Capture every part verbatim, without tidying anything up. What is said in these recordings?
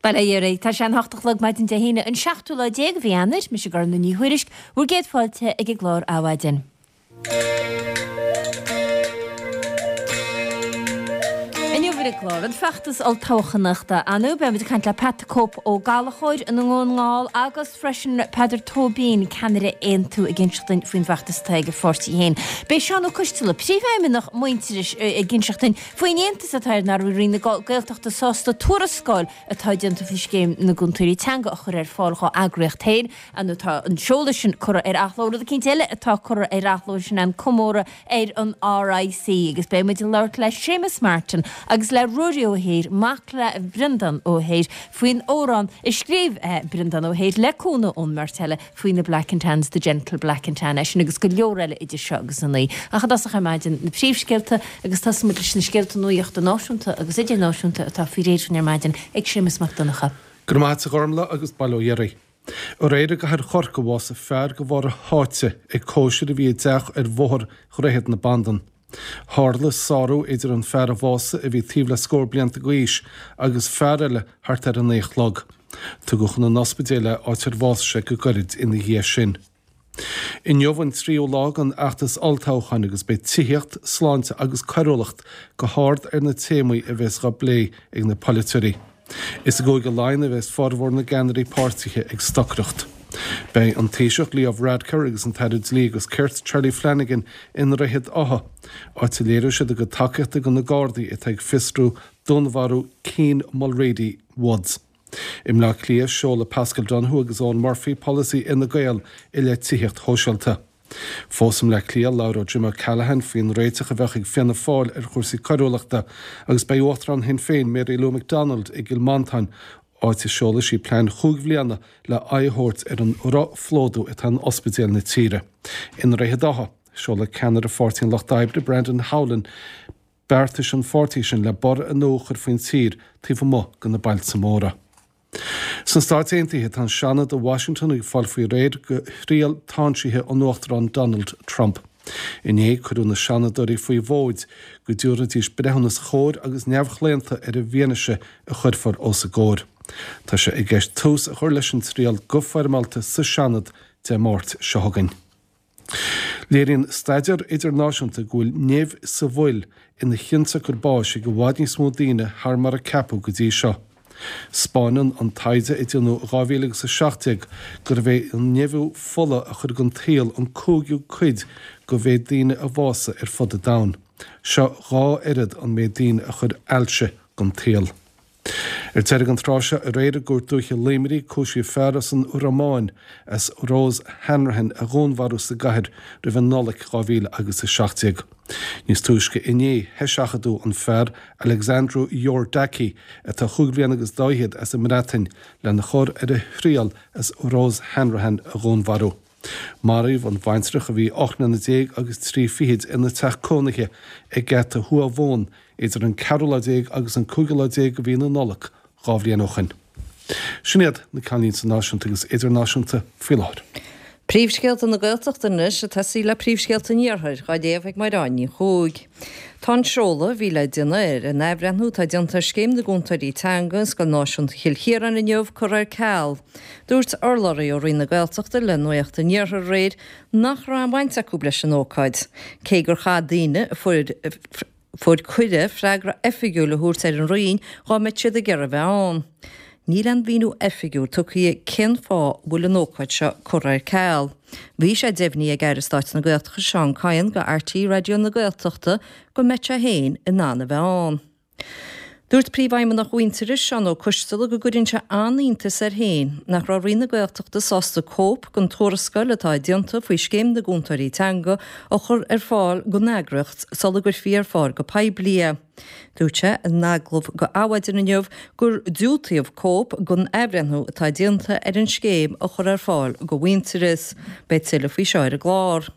Bail ó Dhia oraibh, tá sé an hocht a chlog maidin Dé hAoine, an seachtú lá déag de mhí Eanáir, mise Gormfhlaith Ní Thuairisg, bhur gcéad fáilte ag an gclár Adhmhaidin. Inniu ar an gclár, an feachtas olltoghchánach ann, beidh muid ag caint le Pat the Cope Ó Gallchóir i nDún na nGall agus freisin Peadar Tóibín, ceannaire Aontú ag inseacht dúinn faoin bhfeachtas atá ag a pháirtí féin. Beidh Seán Ó Coisteala, Príomhfheidhmeannach Muintearais ag inseacht dúinn faoin iontas atá air nach raibh Roinn na Gaeltachta sásta tuarascáil atá déanta faoi scéim na gcúntóirí teanga a chur ar fáil dhá eagraíocht féin nó tá an seoladh sin curtha ar athló. Rud eicínt eile atá curtha ar athló sin an comóradh ar an RIC agus beidh muid ag labhairt le Séamus Martin agus le Ruairí Ó hÍr, mac le Breandán Ó hÍr, faoin amhrán a scríobh Breandán Ó hÍr le cúnamh ón mbeirt eile faoi na Black and Tans, The Gentle Black and Tan, é sin agus go leor eile idir seo agus a naoi. Ach i dtosach ar maidin, na príomhscéalta agus tosóidh muid leis na scéalta nuachta náisiúnta agus idirnáisiúnta atá faoi réir ar maidin ag Séamus Mac Donncha. Go raibh maith agat a Ghormfhlaith agus bail ó Dhia oraibh. Aréir i gcathair Chorcaí bhásaigh fear de bharr a sháite ag cóisir a bhí i dteach ar bhóthar Dhroichead na Bandan. Tharla sárú idir an fear a bhásaigh a bhí taobh le scór blianta d'aois agus fear eile thart ar a naoi a chlog. Tugadh chun an ospidéil é áit ar bhásaigh sé go gairid ina dhiaidh sin. Inniu an tríú lá den fheachtas olltoghcháin agus beidh tithíocht, sláinte agus coiriúlacht go hard ar na téamaí a bheas á bplé ag na polaiteoirí. Is i gCúige Laighean a bheas formhór na gceannairí páirtithe ag stocaireacht. Beidh an Taoiseach Leo Varadkar agus an tAire Dlí agus Cirt Charlie Flanagan i nDroichead Átha, áit a léireoidh siad a gcuid tacaíochta do na Gardaí atá ag fiosrú dúnmharú Cian Mulrady Woods. I mBleá Cliath, seolfaidh Paschal Donohoe agus Eoghan Murphy polasaí Fhine Gael i leith tithíocht shóisialta. Fós i mBleá Cliath, labhróidh Jim O'Callaghan faoin réiteach a bheadh ag Fianna Fáil ar chúrsaí coiriúlachta agus beidh Uachtarán Shinn Féin Mary Lou McDonald i gCill Mhantáin, áit a seolfaidh sí plean chúig bhliana le aghaidh a thabhairt ar an rothphlódú atá in ospidéil na tíre. I nDroichead Átha, seolfaidh ceannaire Pháirtí an Lucht Oibre, Brendan Howlin, beartais an pháirtí sin le borradh nua a chur faoin tír taobh amuigh de na bailte móra. Sna Stáit Aontaithe, tá an Seanad i Washington ag fáil faoi réir do thriail táinsithe an Uachtaráin Donald Trump. Inné, cuireadh na Seanadóirí faoi mhóid go dtabharfaidís breithiúnas chóir agus neamhchlaonta ar an bhfianaise a chuirfear os a gcomhair. Tá sé i gceist tús a chur leis an triail go foirmeálta sa Seanad Dé Máirt seo chugainn. Léiríonn staidéar idirnáisiúnta go bhfuil nimh sa bhfuil ina chionsiocair báis ag i bhfad níos mó daoine thar mar a ceapadh go dtí seo. 'Spáineann an taighde a déanadh i dhá mhíle agus a seacht déag gurbh é an nimhiú fola a chuir den tsaol an cúigiú cuid de mhéid daoine a bhásaigh ar fud an domhain. Seo dhá oiread an méid daoine a chuir ailse den tsaol. Ar deireadh an tráth seo aréir i gCúirt Dúiche Luimnigh cúisíodh fear as an Rómáin as Rose Hanrahan a dhúnmharú sa gcathair roimh an Nollaig dhá mhíle agus a seacht déag. Níos túisce inné heiseachadadh an fear Alexandru Iordache atá chúig bhliana agus dá fhichead as an mBreatain lena chur ar a thriail as Rose Hanrahan a dhúnmharú. Maraíodh an bhaintreach a bhí ocht mbliana déag agus trí fichid ina teach cónaithe ag Geata Thuaidh Mhumhan idir an ceathrú lá déag agus an cúigiú lá déag de mhí na Nollag dhá bhliain ó shin. Sin iad na ceannlínte náisiúnta agus idirnáisiúnta faoi láthair. Príomhscéalta na Gaeltachta anois, ag tosaí le príomhscéalta an Iarthair, dhá léamh ag Mairéad Ní Chuaig. Tá an seoladh a bhí le déanamh ar an athbhreithniú atá déanta ar Scéim na gCúntóirí Teanga i Scoil Náisiúnta Chill Chiaráin inniu curtha ar ceal. Dúirt urlabhraí ó Roinn na Gaeltachta le Nuacht an Iarthair aréir nach raibh aon bhaint acu leis an ócáid, cé gur chaith daoine a fuair fuair cuireadh freagra oifigiúil a thabhairt ar an Roinn dhá mbeadh siad ag iarraidh a bheith ann. Níl aon mhíniú oifigiúil tugtha cén fáth a bhfuil an ócáid seo curtha ar ceal. Bhí sé deimhnithe ag Aire Stáit na Gaeltachta Seán Kyne go RTÉ Raidió na Gaeltachta go mbeidh sé féin in ann a bheith ann. Dúirt Príomhfheidhmeannach Mhuintearais, Seán Ó Coisteala, go gcuireann sé an-iontas air féin nach raibh Roinn na Gaeltachta sásta cóip den tuarascáil atá déanta faoi Scéim na gCúntóirí Teanga a chur ar fáil don eagraíocht sula gcuirfí ar fáil go poiblí é. Dúirt sé in agallamh go Adhmhaidin inniu gur diúltaíodh cóip den athbhreithniú atá déanta ar an scéim a chur ar fáil go Mhuintearas. Beidh tuilleadh faoi seo ar an gclár.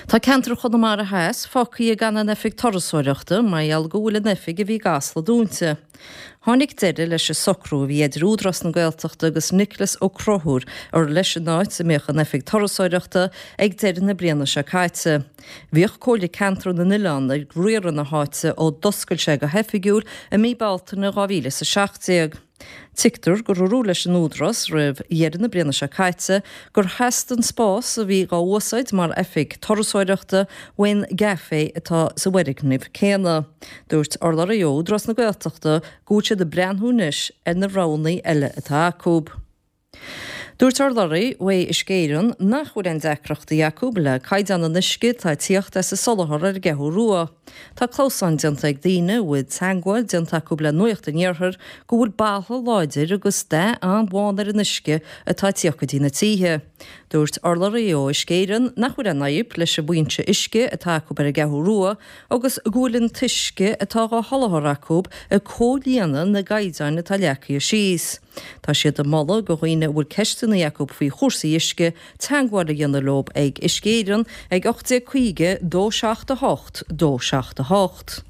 Tá ceantar Chonamara Theas fágtha gan an oifig turasóireachta mar gheall go bhfuil an oifig a bhí i gCasla dúnta. Tháinig deireadh leis an socrú a bhí idir Údarás na Gaeltachta agus Nicholas Ó Conchúir ar leis an áit a mbeadh an oifig turasóireachta ag deireadh na bliana seo caite. Bhíodh Comhairle Ceantar na nOileán ag riaradh na háite ó d'oscail sé go hoifigiúil i mí Bealtaine dhá mhíle is a seacht déag. Tuigtear gur dúradh leis an Údarás roimh dheireadh na bliana seo caite gur theastaigh an spás a bhí dhá úsáid mar oifig turasóireachta ón gcaifé atá sa bhfoirgneamh céanna. Dúirt urlabhraí ó Údarás na Gaeltachta go bhfuil siad ag breathnú anois ar na roghanna eile atá acu. Dúirt urlabhraí uaidh Uisce Éireann nach bhfuil aon deacrachtaí acu le caighdeán an uisce atá ag tíocht as an soláthar ar an gCeathrú Rua. Tá clamhsán déanta ag daoine a bhfuil teagmháil déanta acu le Nuacht an Iarthair go bhfuil boladh láidir agus dath an-bhán ar an uisce atá ag tíocht go dtí na tithe. Dúirt urlabhraí ó Uisce Éireann nach bhfuil aon fhadhb leis an bhfoinse uisce atá acu ar an gCeathrú Rua agus go bhfuil an t-uisce atá dhá sholáthar acu ag comhlíonadh na gcaighdeáin atá leagtha síos. Tá siad ag moladh go dhaoine a bhfuil ceisteanna acu faoi chúrsaí uisce teagmháil a dhéanamh leo ag Uisce Éireann ag ocht déag caoga dó seacht a hocht dó seacht a hocht.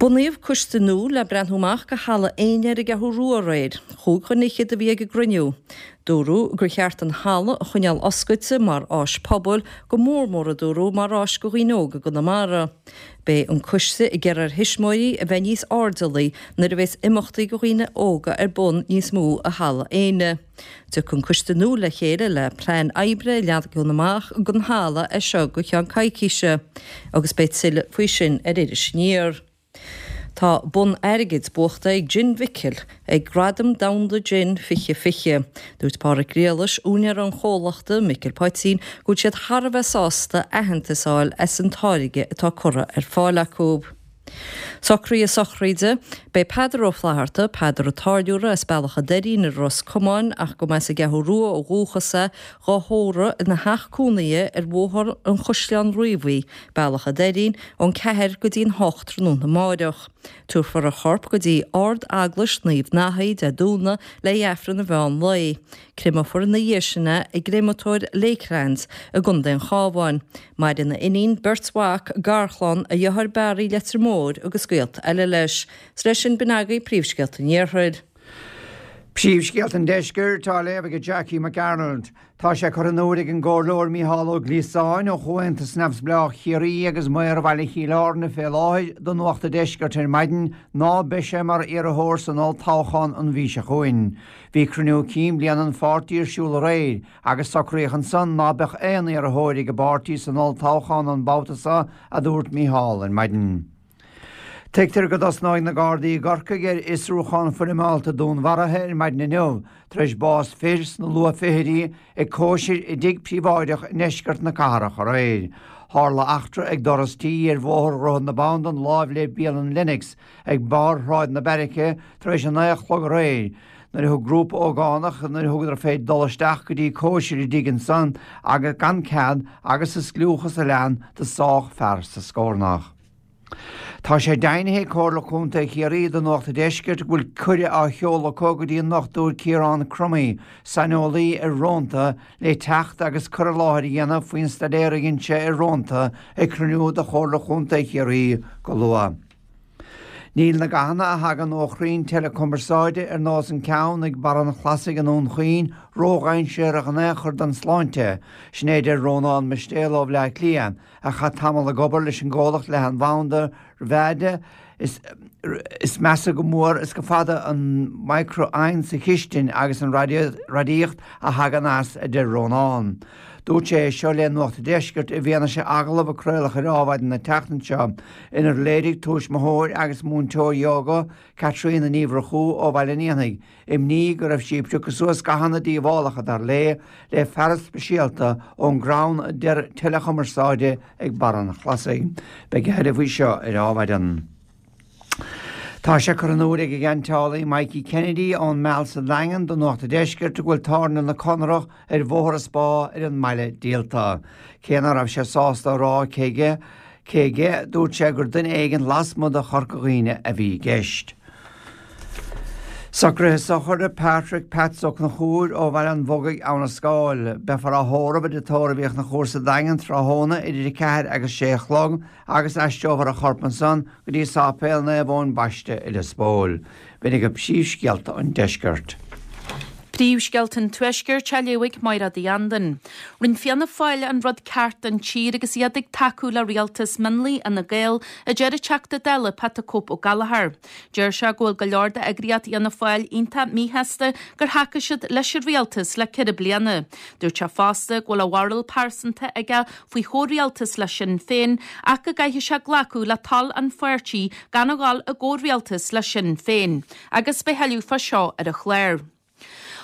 Bunaíodh coiste nua le breathnú amach go Halla Éinne ar an gCeathrú Rua aréir. Chúig dhuine fhichead a bhí ag an gcruinniú. Dúradh gur cheart an halla a choinneáil oscailte mar áis pobail, go mór mór a dúradh mar áis go dhaoine óga i gConamara. Beidh an coiste ag iarraidh ar thuismitheoirí a bheith níos airdeallaí nuair a bheas imeachtaí go dhaoine óga ar bun níos mó i Halla Éinne. Tiocfaidh an coiste nua le chéile le plean oibre a leagan amach don halla as seo go ceann coicíse agus beidh tuilleadh faoi sin ar Iris Aniar. Tá bonn airgid buachta ag Gin Mhicil ag Gradaim Domhanda Gin fiche fiche. Dúirt Páraic Griallais, úinéir an chomhlachta, Micil Poitín, go bhfuil siad thar a bheith sásta aitheantas a fháil as an táirge atá curtha ar fáil acu. Socruithe sochraide, Beidh Peadar Ó Flatharta, Peadar an Táilliúra as Bealach an Doirín i Ros Comáin ach go mb'as an gCeathrú Rua ó dhúchas é, dhá thórramh ina theach cónaithe ar Bhóthar an Chaisleáin Riabhaigh, Bealach an Doirín, ón ceathair go dtí'n hocht tráthnóna amáireach. Tabharfar a chorp go dtí Ard-Eaglais Naomh Nathaí Dé Domhnaigh le Aifreann an mheán lae. Créamfar ina dhiaidh sin é i gcréamatóir Lakelands i gContae an Chabháin. Maireann a iníon, beirt mhac, garchlann, a dheartháir Barry Leitir Móir agus gaolta eile leis. 'S leis sin b'in agaibh príomhscéalta an Iarthair. Príomhscéalta an Deiscirt á léamh ag Jackie McArnold. Tá sé curtha in iúl ag an gComhairleoir Mícheál Ó Gliasáin ó Chomhaontas Neamhspleách Chiarraí agus Maor Bhaile Chill Airne fé láthair do Nuacht an Deiscirt ar maidin ná beidh sé mar iarrthóir san olltoghchán an mhí seo chugainn. Bhí cruinniú cinn bliana an pháirtí ar siúl aréir agus socraíodh ansan ná beadh aon iarrthóir ag an bpáirtí san olltoghchán an babhta seo, a dúirt Mícheál ar maidin. Tuigtear go dtosnóidh na Gardaí i gCorcaigh ar fhiosrúchán foirmeálta dúnmharaithe ar maidin inniu tar éis bás fir sna luathfhichidí ag cóisir i dtigh príobháideach i ndeisceart na cathrach aréir. Tharla eachtra ag doras tí ar Bhóthar Dhroichead na Bandan láimh le bialann Lennox ag barr Shráid na Beairice tar éis a naoi a chlog aréir nuair a thug grúpa ógánach nuair a thugadar fé dul isteach go dtí cóisir i dtigh ansan agus gan cead agus sa scliúchas a lean do sádh fear sa scornach. Tá sé deimhnithe ag Comhairle Contae Chiarraí do Nuacht an Deiscirt go bhfuil cuireadh á sheoladh acu go dtí an Dochtúir Ciarán Crummey, saineolaí ar rónta, le teacht agus cur i láthair a dhéanamh faoin staidéar a dhein sé ar rónta ag cruinniú de Chomhairle Chontae Chiarraí go luath. Níl na gathanna a thagann ó chrainn teileachumarsáide ar nós an ceann ag Barra an Chlasaigh i nDún Chaoin ródhainséarach in aon chor don sláinte, sin é a deir Rónán Mistéal ó Bhleá Cliath, a chaith tamall ag obair leis an gcomhlacht leathanbhanda Rivada. Is measa go mór is go fada an micreathonn sa chistin agus an radaíocht a thagann as, a deir Rónán. Dúirt sé é seo le Nuacht an Deiscirt i bhfianaise agallamh a craoladh ar Adhmhaidin na tseachtaine seo inar léirigh tuismitheoir agus múinteoir ióga, Caitríona Ní Mhurchú ó Bhaile an Éanaigh, imní go raibh sí ag piocadh suas gathanna díobhálacha, dar léi, le fearas speisialta ón gcrann teileachumarsáide ag Barra an Chlasaigh. Beidh a thuilleadh faoi seo ar Adhmhaidin. Tá sé curtha in iúl ag an gceantálaí Mikey Kennedy ón Meal sa Daingean do Nuacht an Deiscirt go bhfuil tábhairne na Conrach ar Bhóthar an Spá ar an mbaile díolta. Cé ná raibh sé sásta a rá cé aige, cé aige, dúirt sé gur duine éigin lasmuigh de Chorca Dhuibhne a bhí i gceist. Socruithe sochraide Patrick Pats Ó Conchúir ó Bhaile an Bhogaigh Abha na Scáil. Beifear á thórramh i dTigh Tórraimh Uí Chonchúir sa Daingean tráthnóna idir a ceathair agus sé a chlog agus aistreofar a chorp ansan go dtí Sáipéal Naomh Eoin Baiste i Lios Póil. B'in agaibh príomhscéalta an deiscirt. Príomhscéalta an Tuaiscirt á léamh ag Máire Uí Andain. Rinne Fianna Fáil an rud ceart don tír agus iad ag tacú le rialtas mionlaigh Fhine Gael, a deir an Teachta Dála Pat Cope Ó Gallchóir. Deir sé go bhfuil go leor d'eagraíocht Fhianna Fáil iontach míshásta gur thacaigh siad leis an rialtas le ceithre bliana. Dúirt sé fosta go bhfuil a bharúil pearsanta aige faoi chomhrialtas le Sinn Féin ach go gcaithfidh sé glacadh le toil an pháirtí gan a dhul i gcomhrialtas le Sinn Féin. Agus beidh tuilleadh fá seo ar an chlár.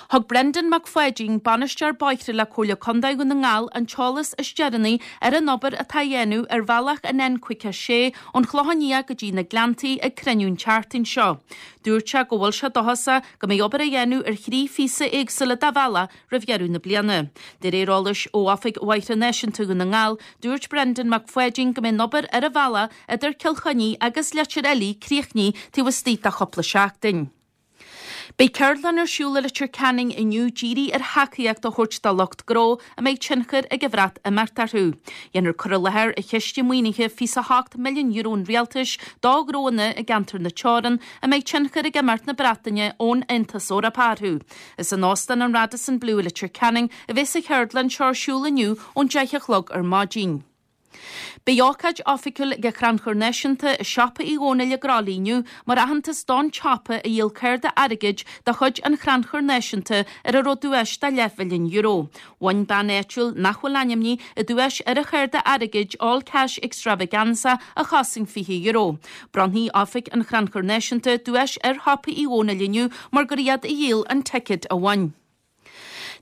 Thug Brendan Mac Pháidín, bainisteoir bóithre le Comhairle Contae Dhún na nGall, an t-eolas is deireanaí ar an obair atá á dhéanamh ar bhealach an N caoga sé ón Chlochán Liath go dtí na Gleanntaí ag cruinniú an tseachtain seo. Dúirt sé go bhfuil sé dóchasach go mbeidh obair á dhéanamh ar thrí phíosa éagsúla de bhealach roimh dheireadh na bliana. De réir eolais ó Oifig Bhóithre Náisiúnta Dhún na nGall, dúirt Brendan Mac Pháidín go mbeidh an obair ar an bhealach idir Cill Chainnigh agus Leitir Fhiilí críochnaithe taobh istigh de chúpla seachtain. Beidh ceardlann ar siúl i Leitir Ceanainn inniu dírithe ar thacaíocht a thabhairt do lucht gnó a mbeidh tionchar ag an Bhreatimeacht orthu. Dhéanfar cur i láthair ar chiste maoinithe fiche a hocht milliún euro an rialtais do ghnóanna i gceantar na Teorann a mbeidh tionchar ag imeacht na Breataine ón Aontas Eorpach orthu. Is in Óstán an Radisson Blu i Leitir Ceanainn a bheas an cheardlann seo ar siúl inniu ón deich a chlog ar maidin. Beidh ócáid oifigiúil ag an Chrannchur Náisiúnta i Siopa Uí Dhónaill i gCroithlí inniu mar aitheantas don tsiopa a dhíol cárta airgid de chuid an Chrannchuir Náisiúnta ar a raibh duais de leathmhilliún euro. Bhain bean áitiúil nach bhfuil ainmnithe an duais ar an chárta airgid All Cash Extravaganza a chosain fiche euro. Bronnfaidh Oifig an Chrannchuir Náisiúnta duais ar Shiopa Uí Dhónaill inniu mar gur iad a dhíol an ticéad a bhain.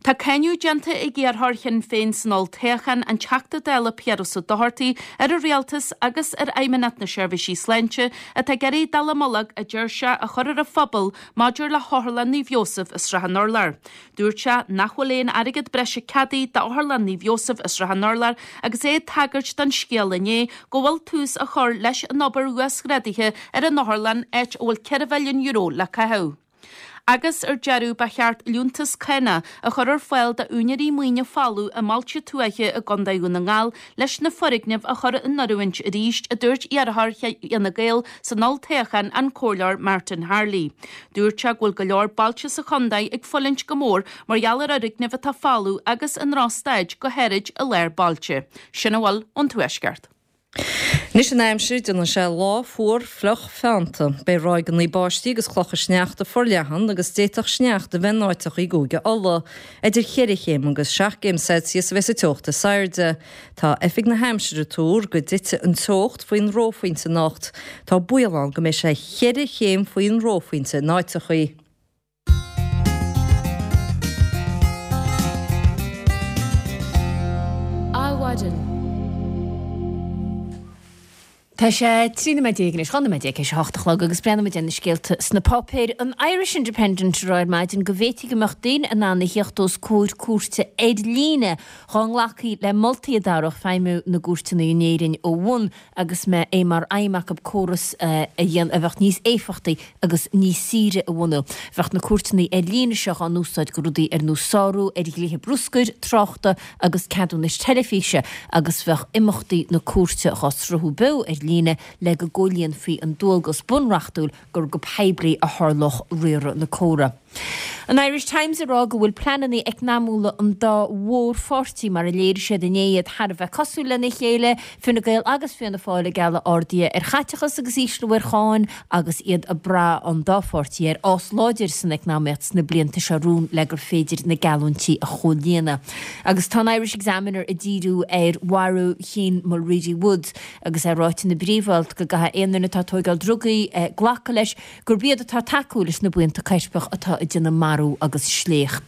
Tá cáineadh déanta ag iarrthóir Shinn Féin san olltoghchán, an Teachta Dála Piaras Ó Dochartaigh, ar an rialtas agus ar Fheidhmeannacht na Seirbhísí Sláinte atá ag iarraidh dallamullóg, a deir sé, a chur ar an phobal maidir le hOtharlann Naomh Iósaf i Srath an Urláir. Dúirt sé nach bhfuil aon airgead breise ceadaithe d'Otharlann Naomh Iósaf i Srath an Urláir agus é ag tagairt don scéal inné go bhfuil tús á chur leis an obair uasghrádaithe ar an otharlann, áit a bhfuil ceithre mhilliún euro le caitheamh. Agus ar deireadh, ba cheart liúntas cánach a chur ar fáil d'úinéirí maoine folamh i mbailte tuaithe i gContae Dhún na nGall leis na foirgnimh a chur in oiriúint arís, a dúirt iarrthóir Fhine Gael san olltoghchán, an Comhairleoir Martin Harley. Dúirt sé go bhfuil go leor bailte sa chontae ag fulaingt go mór mar gheall ar fhoirgnimh atá folamh agus i ndrochstaid, go háirid i lár bailte. Sin a bhfuil ón Tuaisceart. Anois an aimsir, déanfaidh sé lá fuar fliuch feannta. Beidh ráigeanna báistí agus clocha sneachta forleathan agus d'fhéadfadh sneachta a bheith in áiteacha i gCúige Uladh. Idir cheithre chéim agus seacht gcéim Celsius a bheas an teocht is airde. Tá Oifig na hAimsire ag tuar go dtitfidh an teocht faoin reophointe anocht. Tá baol ann go mbeidh sé cheithre chéim faoin reophointe in áiteacha. Adhmhaidin. Tá sé trí nóiméad déag anois, dhá nóiméad déag théis a hocht a chlog agus breathnóimid ar na scéalta sna páipéir. An Irish Independent ag rá ar maidin go bhféadfaí go mbeadh daoine in ann a thíocht os comhair cúirte ar líne dá nglacfaí le moltaí a d'athródh feidhmiú na gcúirteanna in Éirinn ó bhun agus mbeadh é mar aidhm acu córas a dhéanamh a bheadh níos éifeachtaí agus níos saoire a bhunú. Bheadh na cúirteanna ar líne seo á n-úsáid do rudaí ar nós sárú ar dhlíthe bruscair, tráchta agus ceadúnais teilifíse agus bheadh imeachtaí na cúirte á sruthú beo ar líne le go gcomhlíonfaí an dualgas bunreachtúil gur go poiblí a tharlódh riaradh na córa. An Irish Times ag rá go bhfuil pleananna eacnamúla an dá mhórpháirtí mar a léirigh siad inné iad thar a bheith cosúil lena chéile, Fine Gael agus Fianna Fáil ag gealladh arduithe ar chaiteachas agus ísliú ar cháin agus iad ag brath an dá pháirtí ar fhás láidir san eacnamaíocht sna blianta seo romhainn le gur féidir na geallúintí a chomhlíonadh. Agus tá an Irish Examiner ag díriú ar mharú Chian Mulready Woods agus é ráite ina bpríomh-alt go gcaithfidh aon duine atá ag tóigeáil drugaí glacadh leis gurb iad atá ag tacú leis na buíonta coirpeach atá ag déanamh marú agus sléacht.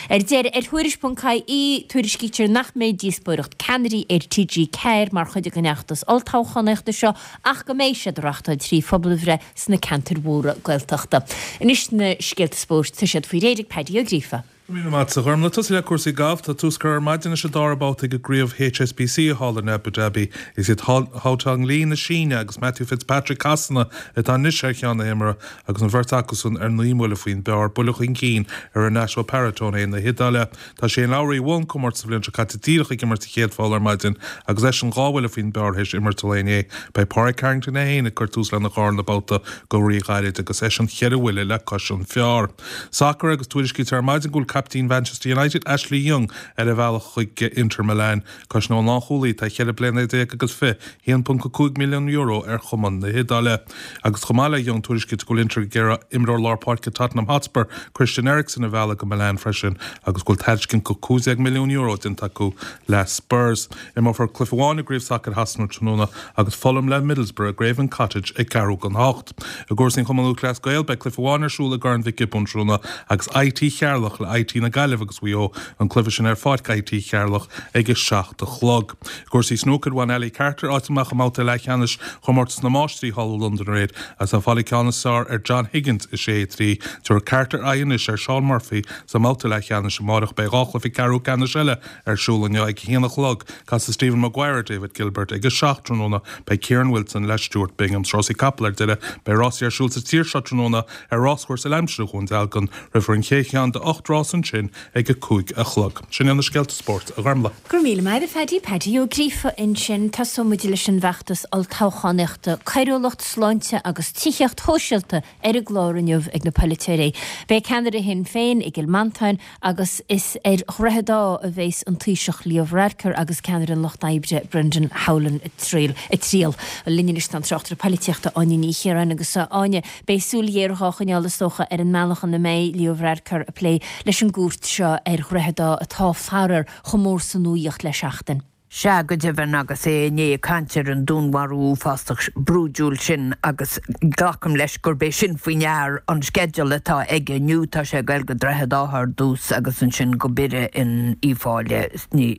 Ar deireadh, ar Thuairisc ponc ie, tuairiscítear nach mbeidh díospóireacht ceannairí ar T G ceathair mar chuid den fheachtas olltoghchánaíochta seo ach go mbeidh siad á reáchtáil trí phobalbhreith sna ceantair mhóra Gaeltachta. Anois na scéalta spóirt, tá siad faoi réir ag Paddy Ó Gríofa. Go míle maith agat, a Ghormlaith. Tosú le cúrsaí gailf, tá tús curtha ar maidin leis an dara babhta ag an gcraobh HSBC thall in Abu Dhabi. Is iad Haotong Li na Síne agus Matthew Fitzpatrick Shasana atá anois ar cheann na himeartha agus an bheirt acusan ar naoi mbuille faoin bpar, buille chun cinn ar Renato Paratone na hIodáile. Tá Shane Lowry a bhuaigh an comórtas sa bhliain seo caite díreach ag imirt sa chéad pholl ar maidin agus eisean dhá bhuille faoin bpar théis imirt an lae inné. Beidh Pádraig Harrington é féin ag cur tús lena dharna babhta go ríghairid agus eisean ceithre bhuille le cois an phar. Sacar agus tuairiscítear ar maidin go bhfuil caiptín Manchester United Ashley Young ar a bhealach chuig Inter Milan. Cosnóidh an lánchúlaí atá ceithre bliana déag agus fiche haon ponc a cúig milliún euro ar chumann na hIodáile. Agus chomh maith le Young tuairiscítear go bhfuil Inter ag iarraidh imreoir lár páirce Tottenham Hotspur Christian Eriksen a mhealladh go Milan freisin agus go bhfuil tairiscint go cúig déag milliún euro déanta acu le Spurs. Imreofar cluiche amháin i gcraobh sacair Shasana tráthnóna agus Fulham le Middlesbrough i Craven Cottage ag ceathrú don hocht. I gcúrsaí an Chumann Lúthchleas Gael beidh cluiche amháin ar siúl i gCorn Mhic Giobúin tráthnóna agus IT Cheatharlach le IT na Gaillimhe agus Mhaigh Eo an cluiche sin ar pháirc IT Cheatharlach ag a seacht a chlog. Cúrsaí snúcair bhain Ali Carter áit amach i mbabhta leathcheannais chomórtas na máistrí thall i Londain aréir as an fáil ceann is fearr ar John Higgins i sé trí. Tabharfaidh Carter aghaidh anois ar Shaun Murphy sa mbabhta leathcheannais amárach beidh dhá chluiche ceathrú ceannais eile ar siúl inniu ag a haon a chlog casfaidh Stephen Maguire David Gilbert ag a seacht tráthnóna beidh Kieran Wilson le Stuart Bingham rásaí capall ar deireadh beidh rásaí ar siúl sa tír seo tráthnóna ar ráschúrsa Laimsire Dhún Dealgan rithfear an chéad cheann de ocht rás ansin ag a cúig a chlog. Sin na scéalta spóirt a Ghormlaith. Go raibh míle maith agat a Phaddy Paddy Ó Gríofa ansin tosóidh muid leis an bhfeachtas olltoghchánaíochta coiriúlacht sláinte agus tithíocht shóisialta ar an gclár inniu ag na polaiteoirí. Beidh ceannaire Shinn Féin i gCill Mhantáin agus is ar Dhroichead Átha a bheas an Taoiseach Leo Varadkar agus ceannaire an Lucht Oibre Brendan Howlin ag triall ag triall. Linn anois tá an tráchtaire polaitíochta Áine Ní Chiaráin agus Áine beidh súil ghéar á choinneáil is dócha ar an mbealach ina mbeidh Leo Varadkar ag plé leis an gcúirt seo ar Dhroichead Átha atá faraor chomh mór sa nuacht le seachtain. Sea go deimhin agus é inné ag caint ar an dúnmharú uafásach brúidiúil sin agus glacaim leis gurb é sin faoi ndear an sceideal atá aige inniu tá sé ag goil go Droichead Átha ar dtús agus ansin go Biorra in Uíbh Fhailí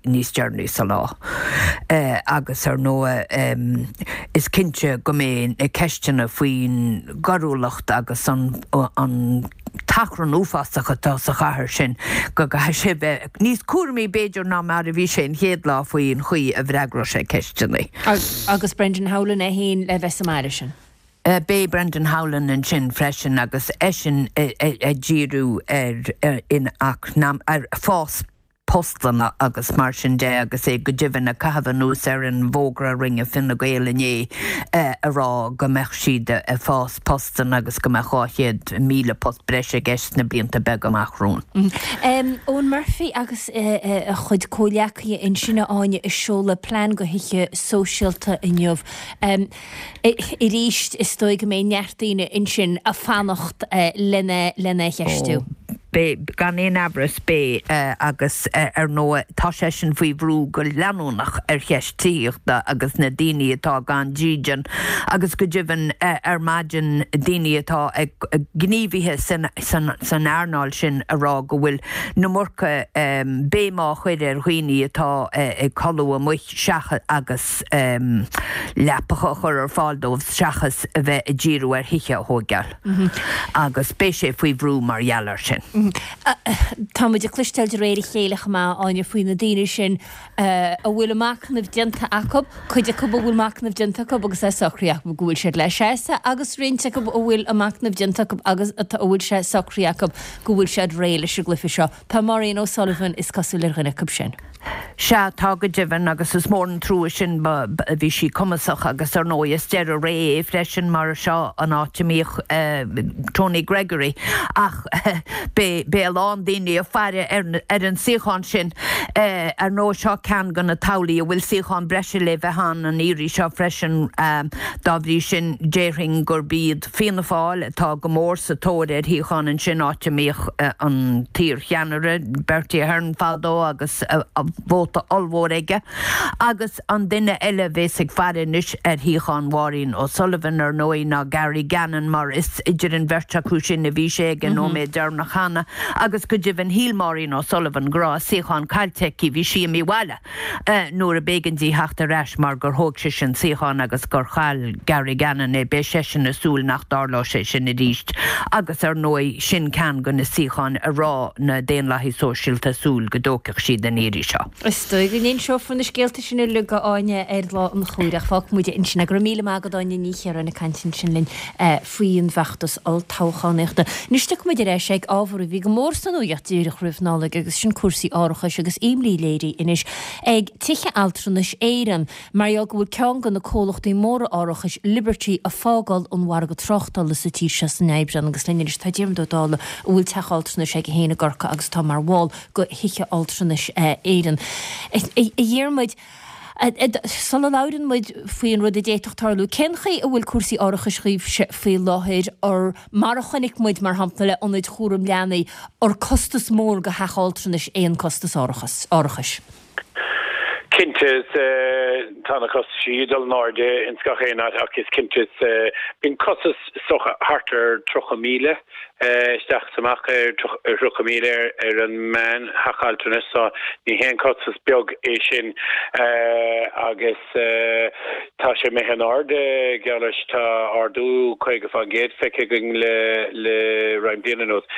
níos deireanaí sa lá. Agus ar ndóigh is cinnte go mbeidh na ceisteanna faoin gcoiriúlacht agus an an t-achrann uafásach atá sa chathair sin go gcaithfidh sé bheith níos cúramaí b'fhéidir ná mar a bhí sé an chéad lá faoin chaoi a bhfreagróidh sé ceisteanna. Agus Brendan Howlin é féin le bheith sa mbaile sin. Beidh Brendan Howlin ansin freisin agus eisean ag díriú ar in ar fás postanna agus mar sin de agus é go deimhin ag caitheamh anuas ar an bhfógra a rinne Fine Gael inné a rá go mbeadh siad ag fás postanna agus go mbeadh dhá chéad míle post breise i gceist sna blianta beaga amach romhainn. Eoghan Murphy agus a chuid comhghleacaithe ansin a Áine ag seoladh plean do thithe sóisialta inniu. Arís is dóigh go mbeidh neart daoine ansin ag fanacht lena lena cheistiú. Beidh, gan aon amhras, beidh agus ar ndóigh tá seisean faoi bhrú go leanúnach ar cheist tithíochta agus na daoine atá gan dídean agus go deimhin ar maidin daoine atá ag gníomhaithe san san san earnáil sin a rá go bhfuil an iomarca béim á chur ar dhaoine atá ag codladh amuigh seachas agus leapacha a chur ar fáil dóibh seachas a bheith ag díriú ar thithe a thógáil. Agus beidh sé faoi bhrú mar gheall air sin. Tá muid ag cloisteáil de réir a chéile chomh maith, Áine, faoi na daoine sin a bhfuil a machnamh déanta acu, cuid acu a bhfuil machnamh déanta acu agus é socraithe acu go bhfuil siad le seasamh agus roinnt acu a bhfuil a machnamh déanta acu agus a bhfuil sé socraithe acu go bhfuil siad réidh leis an gcluiche seo. Tá Maureen O'Sullivan is cosúil ar dhuine acu sin. Sea, tá go deimhin agus is mór an trua sin. Bhí sí cumasach agus ar ndóigh is deireadh ré é freisin mar seo an áit a mbíodh Tony Gregory ach beidh a lán daoine ag faire ar an suíochán sin. Ar ndóigh seo ceann de na toghlaigh a bhfuil suíochán breise le bheith ann an iarraidh seo freisin. Dá bhrí sin déarfainn gurb iad Fianna Fáil atá go mór sa tóir ar shuíochán ansin, áit a mbíodh an t-iarcheannaire Bertie Ahern fadó agus a vóta ollmhór aige, agus an duine eile a bheas ag faire anois ar shuíochán Mháirín O'Sullivan ar ndóigh ná Gary Gannon mar is idir an bheirt acu sin a bhí sé ag an nóiméad deireanach cheana agus go deimhin shíl Máirín O'Sullivan go raibh a suíochán caillte aici, bhí sí imithe abhaile nuair a b'éigean di theacht ar ais mar gur thóg sise an suíochán agus gur chaill Gary Gannon é, beidh seisean ag súil nach dtarlóidh sé sin arís agus ar ndóigh sin ceann de na suíocháin a raibh na Daonlathaigh Sóisialta ag súil go dtógfadh siad an iarraidh seo. Is dóigh go n-inseofar na scéalta sin uilig a Áine ar lá an chomhairimh ach fágfaidh muid ansin é. Go raibh míle maith agat Áine Ní Chiaráin ag caint ansin linn faoi an bhfeachtas olltoghchánaíochta. Anois tiocfaidh muid ar ais ag ábhar a bhí go mór sa nuacht díreach roimh Nollaig agus sin cúrsaí árachais agus imní léirithe anois ag Tithe Altranais Éireann mar gheall go bhfuil ceann de na comhlachtaí móra árachais, Liberty, ag fágáil an mhargaidh tráchtála sa tír seo san Aibreán agus linn anois tá Diarmuid Ó Dálaigh a bhfuil teach altranais aige féin i gCorcaigh agus atá mar bhall de Thithe Altranais Éireann. A Dhiarmuid, sula labhrann muid faoin rud a d'fhéadfadh tarlú, cén chaoi a bhfuil cúrsaí árachais dhaoibhse faoi láthair or mar a chonaic muid mar shampla le ionaid chúram leanaí, ar costas mór do theach altranais é an costas árachais? Cinnte, is tá na costaisí ag dul in airde ins gach aon áit ach is cinnte is bíonn costas is dócha thart ar tríocha míle isteach is amach ar thríocha míle ar an meán theach altranais so ní haon costas beag é sin agus tá sé imithe in airde geall leis tá ardú caoga faoin gcéad feicthe againn le le roinnt bliana anuas.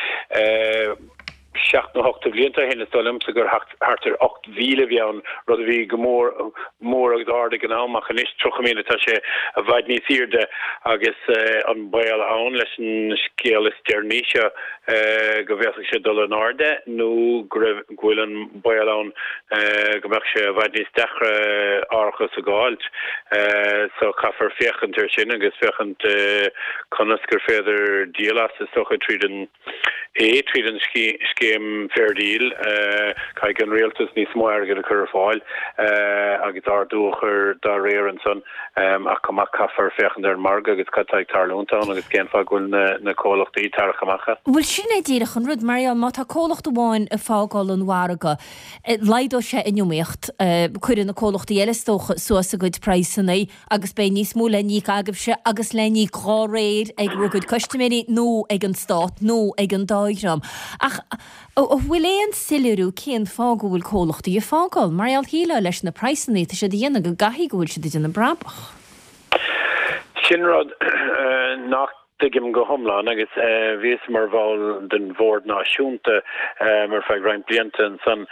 Seacht nó ocht de bhlianta ó shin is dóigh liomsa gur thart ar ocht mhíle a bhí ann, rud a bhí go mór mór agus ard ag an am, ach anois tríocha míle, tá sé i bhfad níos airde agus an baol ann leis an scéal is deireanaí seo go bhféadfadh sé dul in airde nó go raibh, go bhfuil an baol ann go mbeadh sé i bhfad níos deacra árachas a dh'fháilt. So caithfear féachaint air sin agus féachaint conas gur féidir díol as, is dócha, tríd an. é tríd an scéim Fair Deal, caithfidh an rialtas níos mó airgid a chur ar fáil agus ardú a chur dá réir ansan ach chomh maith caithfear féachaint ar an margadh agus cad tá ag tarlúint ann agus cén fáth go bhfuil na comhlachtaí ag tarrac amach as. Bhuel sin é díreach an rud, mar gheall má tá comhlacht amháin ag fágáil an mhargaidh, laghdóidh sé an iomaíocht, cuirfidh na comhlachtaí eile is dócha suas a gcuid praghsanna agus beidh níos mó le n-íoc agaibhse agus le n-íoc dhá réir ag bhur gcuid custaiméirí nó ag an Stát nó ag an dá dhream. Ach an bhfuil aon soiléiriú cén fáth go bhfuil comhlachtaí ag fágáil? Mar gheall shílfeá leis na praghsanna atá siad a dhéanamh go gcaithfidh go bhfuil siad ag déanamh brabach. Sin rud nach dtuigim go hiomlán agus bhíos mar bhall den Bhord Náisiúnta ar feadh roinnt blianta ansan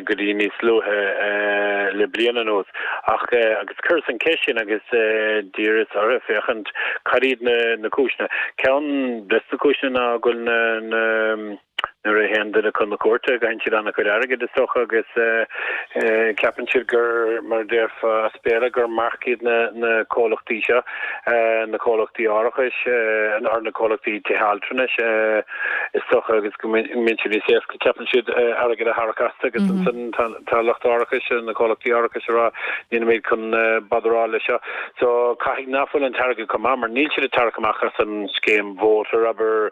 go dtí níos luaithe le bliain anuas ach agus chuireas an cheist sin agus d'iarras orthu féachaint cad iad na cúiseanna. Ceann des na cúiseanna ná go bhfuil na Nuair a théann duine chun na cúirte, caitheann siad an-chuid airgid, is dócha, agus ceapann siad gur, mar a déarfá as Béarla, gur marc iad na comhlachtaí seo, na comhlachtaí árachais, nó na comhlachtaí tithe altranais, is dócha, agus go mbíonn sé níos éasca, ceapann siad, airgead a tharrac astu agus ansan tá lucht árachais, na comhlachtaí árachais ag rá, nílimid chun badaráil leis seo. So, caithfidh nach bhfuil an t-airgead chomh maith, mar níl siad ag tarrac amach as an scéim mhótair, abair,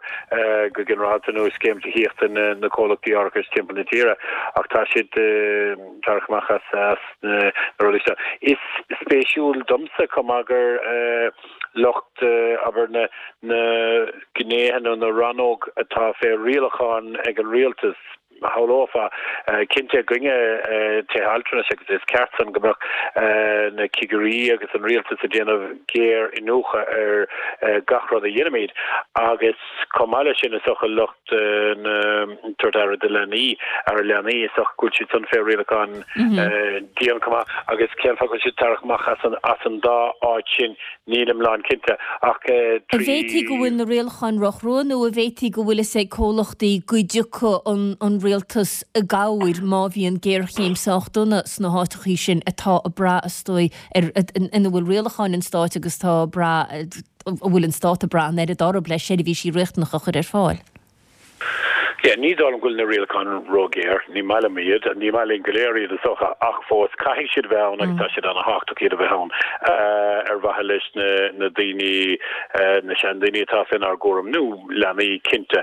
go ginearálta nó scéim tithíochta na comhlachtaí árachais timpeall na tíre ach tá siad ag tarrac amach as na rudaí seo. Is spéisiúil domsa chomh maith gur lucht, abair, na gnéithe nó na rannóg atá fé rialachán ag an rialtas, shamhlófá, cinnte i gcoinne tithe altranais agus is ceart san go mbeadh na cigirí agus an rialtas ag déanamh géar-iniúchadh ar gach rud a dhéanaimid agus chomh maith leis sin is dócha lucht na tabhairt aire do leanaí, aire leanaí, is dócha go bhfuil siad san fé rialachán dian chomh maith agus cén fáth go bhfuil siad ag tarrac amach as an as an dá áit sin nílim lán cinnte ach An trí bhféadfaí go bhfuil na rialacháin ró-chrua nó an bhféadfaí go bhfuil fhios ag comhlachtaí go dtiocfaidh an an rialtas i gcabhair má bhíonn géarchéim sách dona sna háiteachaí sin atá ag brath is dóigh ar ina bhfuil rialacháin an stáit agus atá ag brath a bhfuil an stát ag brath an oiread orthu le seirbhísí riachtanacha a chur ar fáil? Yeah, ní dóigh liom go bhfuil na rialacháin róghéar, ní maith liom iad, ní maith linn go léir iad is dócha, ach fós caithfidh siad bheith ann agus tá siad an-thábhachtach iad a bheith ann ar mhaithe leis na na daoine, na seandaoine atá faoinár gcúram, nó leanaí cinnte.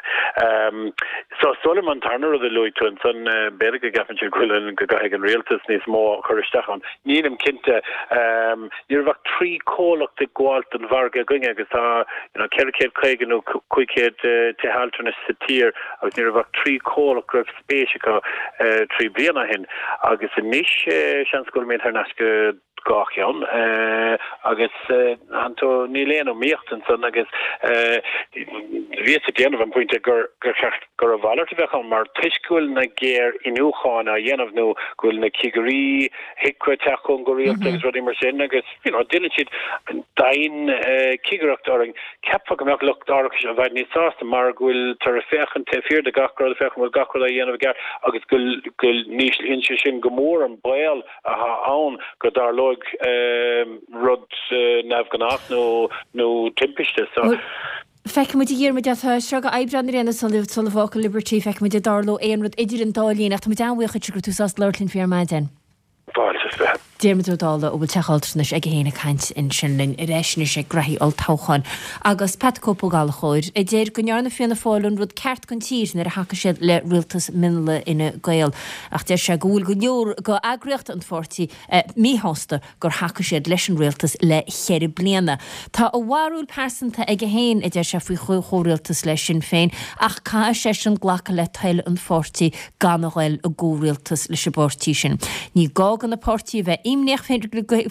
So is dóigh liom an tarna rud a luaigh tú ansan, b'fhéidir go gceapann siad go bhfuil an, go gcaithfidh an rialtas níos mó a chur isteach ann. Nílim cinnte. Ní raibh ach trí chomhlacht ag gabháilt don mhargadh againne agus tá you know ceithre chéad caoga nó cúig chéad tithe altranais sa tír agus ní raibh ach trí chomhlacht go raibh spéis acu trí bliana ó shin agus anois seans go bhfuilimid thar n-ais go dhá cheann agus níl aon iomaíocht ansan agus bhíos ag déanamh an pointe gur gur cheart gur a mhalairt a bheadh ann mar toisc go bhfuil na géar-iniúcháin á dhéanamh nó go bhfuil na cigirí HIQA ag teacht chugainn go rialta agus rudaí mar sin agus you know déanann siad dian-chigireacht orainn. Cheapfá go mbeadh lucht árachais i bhfad níos sásta mar go bhfuiltear ag féachaint taobh thiar de gach rud, féachaint an bhfuil gach rud á dhéanamh i gceart agus go go n-íslíonn sé sin go mór an baol atá ann go dtarlóidh rud neamhghnách nó nó timpiste. So. Feicfidh muid a Dhiarmuid tá seo go Aibreán ar aon nós sula bhfágfaidh Liberty, feicfidh muid an dtarlóidh aon rud idir an dá linn ach tá muid an-bhuíoch duit go raibh tú sásta labhairt linn faoi ar maidin. Fáilte is fiche. Diarmuid Ó Dálaigh a bhfuil teach altranais aige féin ag caint ansin linn ar ais anois ag graithí olltoghcháin. Agus Pat the Cope Ó Gallchóir, a deir go ndearna Fianna Fáil an rud ceart don tír nuair a thacaigh siad le rialtas mionlaigh Fhine Gael. Ach deir sé go bhfuil go leor de eagraíocht an pháirtí míshásta gur thacaigh siad leis an rialtas le ceithre bliana. Tá a bharúil pearsanta aige féin, a deir sé, faoi chomhrialtas le Sinn Féin, ach caithfidh seisean glacadh le toil an pháirtí gan a ghoil i gcomhrialtas leis an bpáirtí sin. Ní gá do na páirtithe a bheith imníoch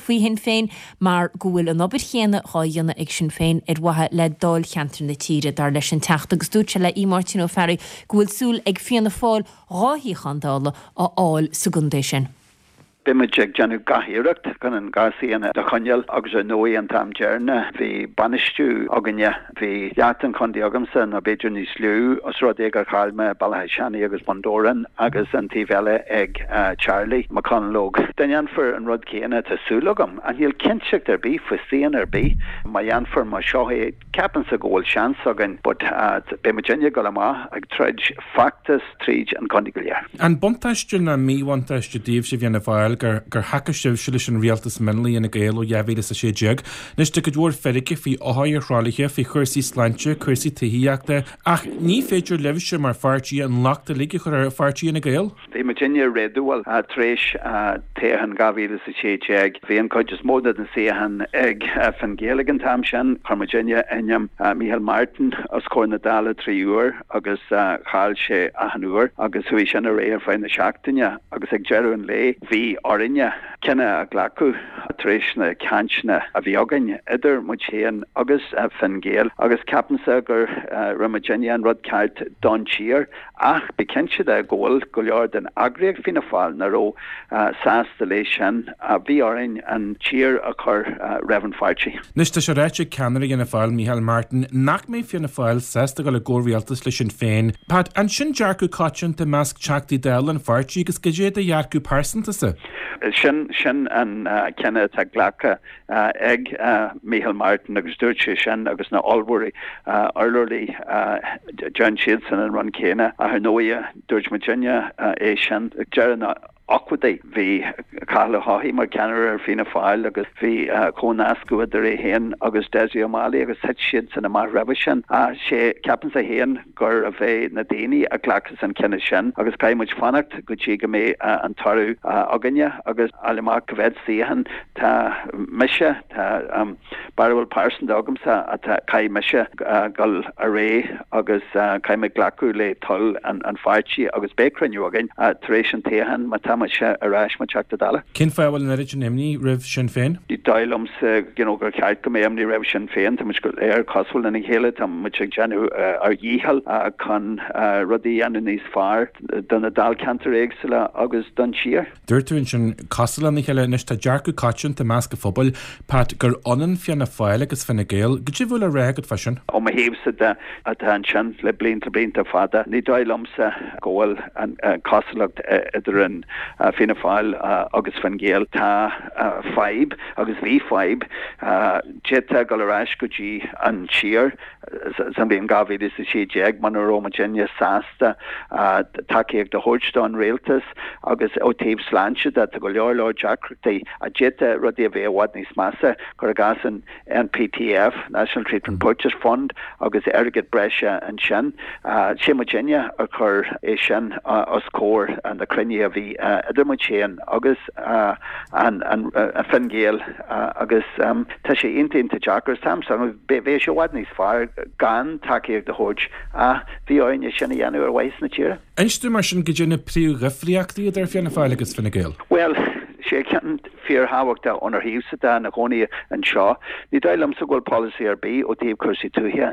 faoi Shinn Féin mar go bhfuil an obair chéanna dhá dhéanamh ag Sinn Féin ar mhaithe le dáilcheantair na tíre, dar leis an Teachta, agus dúirt sé le Aodh Máirtín Ó Fearraigh go bhfuil súil ag Fianna Fáil dhá shuíochán Dála a fháil sa gcontae sin. Beidh muid ag déanamh gach iarracht chun an dhá suíochán a choinneáil agus ar ndóigh an t-am deireanach bhí bainistiú againne, bhí leath den chontae agamsa nó b'fhéidir níos lú os rud é gur chaill mé Béal Átha Seanaidh agus Bun Dobhráin agus an taobh eile ag Charlie McConalogue. Dá ndéanfar an rud céanna tá súil agam, ach níl cinnteacht ar bith faoi suíochán ar bith, má dhéanfar mar seo é ceapaimse go bhfuil seans againn but beidh muidinne ag dul amach ag troid feachtas tríd an chontae go léir. An buntáiste nó míbhuntáiste daoibhse Fianna Fáil gur gur thacaigh sibhse leis an rialtas mionlaigh Fhine Gael ó dhá mhíle is a sé déag? Anois tá cuid mhór feirge faoi othair ar thralaithe, faoi chúrsaí sláinte, cúrsaí tithíochta, ach ní féidir libhse mar pháirtí an locht uilig a chur ar pháirtí Fhine Gael. Bhí muidinne réadúil tar éis toghchán dhá mhíle is a sé déag. Bhí an chuid is mó de na suíocháin ag Fine Gael ag an t-am sin. Chuir muidinne ainm Micheál Martin os comhair na Dála trí huair agus chaill sé achan uair agus chuaigh sin ar aghaidh ar feadh na seachtaine agus ag deireadh an lae bhí orainne cinneadh a ghlacadh tar éis na cainteanna a bhí againn idir muid féin agus Fine Gael agus ceapaimse gur rinne muidinne an rud ceart don tír ach bí cinnte de go bhfuil go leor den eagraíocht Fianna Fáil nach raibh sásta léi sin. Bhí orainn an tír a chur roimh an pháirtí. Anois tá sé ráite ag ceannaire Fhianna Fáil, Micheál Martin, nach mbeidh Fianna Fáil sásta dul i gcomhrialtas le Sinn Féin. Pat, an sin dearcadh coitianta i measc Teachtaí Dála an pháirtí agus cad é do dhearcadh pearsanta-sa? Sin sin an cinneadh atá glactha ag Micheál Martin agus dúirt sé sin agus na hurlabhraí urlabhraí déanann siadsan an rud céanna. Ach ar ndóighe dúirt muidinne é sin ag deireadh na n-ochtóidí. Bhí Cathal Ó hEochaidh mar cheannaire ar Fianna Fáil agus bhí comhnascadh idir é féin agus Dessie O'Malley agus thit siadsan amach roimhe sin. Ach sé, ceapaimse féin gurbh é na daoine a ghlacas an cinneadh sin agus caithfidh muid fanacht go dtí go mbeidh an toradh againne agus fháil amach cá mhéad suíochán tá mise, tá barúil pearsanta agamsa atá caithfidh mise dul ar aghaidh agus caithfidh mé glacadh le toil an pháirtí agus beidh cruinniú againn tar éis an toghcháin má tá mise ar ais mar Teachta Dála. Cén fáth a bhfuil an oiread sin imní roimh Sinn Féin? Ní dóigh liomsa you know gur cheart go mbeadh imní roimh Sinn Féin. Tá muid go léir cosúil lena chéile, tá muid ag déanamh ár dhícheall chun rudaí a dhéanamh níos fearr do na dáilcheantair éagsúla agus don tír. Dúirt tú ansin cosúil lena chéile, anois tá dearcadh coitianta i measc an phobail, Pat, gur ionann Fianna Fáil agus Fine Gael. Cad é a bhfuil le rá agat fá sin? Ó mo thaobhsa de, atá ansin le blianta blianta fada, ní dóigh liomsa go bhfuil an cosúlacht idir an Fianna Fáil agus Fine Gael. Tá fadhb agus bhí fadhb. D'fhéadfá dul ar ais go dtí an siar sa bhliain dhá mhíle is a sé déag muna raibh muidinne sásta tacaíocht a thabhairt don rialtas agus ó taobh sláinte de tá go leor leor deacrachtaí a d'fhéadfadh rudaí a bheith i bhfad níos measa cuir i gcás an NPTF, National Treatment Purchase Fund, agus airgead breise ansin. Sé muidinne a chuir é sin os comhair na cruinnithe a bhí idir muid féin agus an Fine Gael agus tá sé iontach iontach deacair. Tá bheadh sé i bhfad níos fearr gan tacaíocht a thabhairt ach bhí orainn é sin a dhéanamh ar mhaithe na tíre. Inis dúinn mar sin goidé na príomhdhifríochtaí idir Fianna Fáil agus Fine Gael. Bhuel, sé ceann fíorthábhachtach ónár thaobhsa de ina gcónaí anseo. Ní dóigh liomsa go bhfuil polasaí ar bith ó taobh cúrsaí tuaithe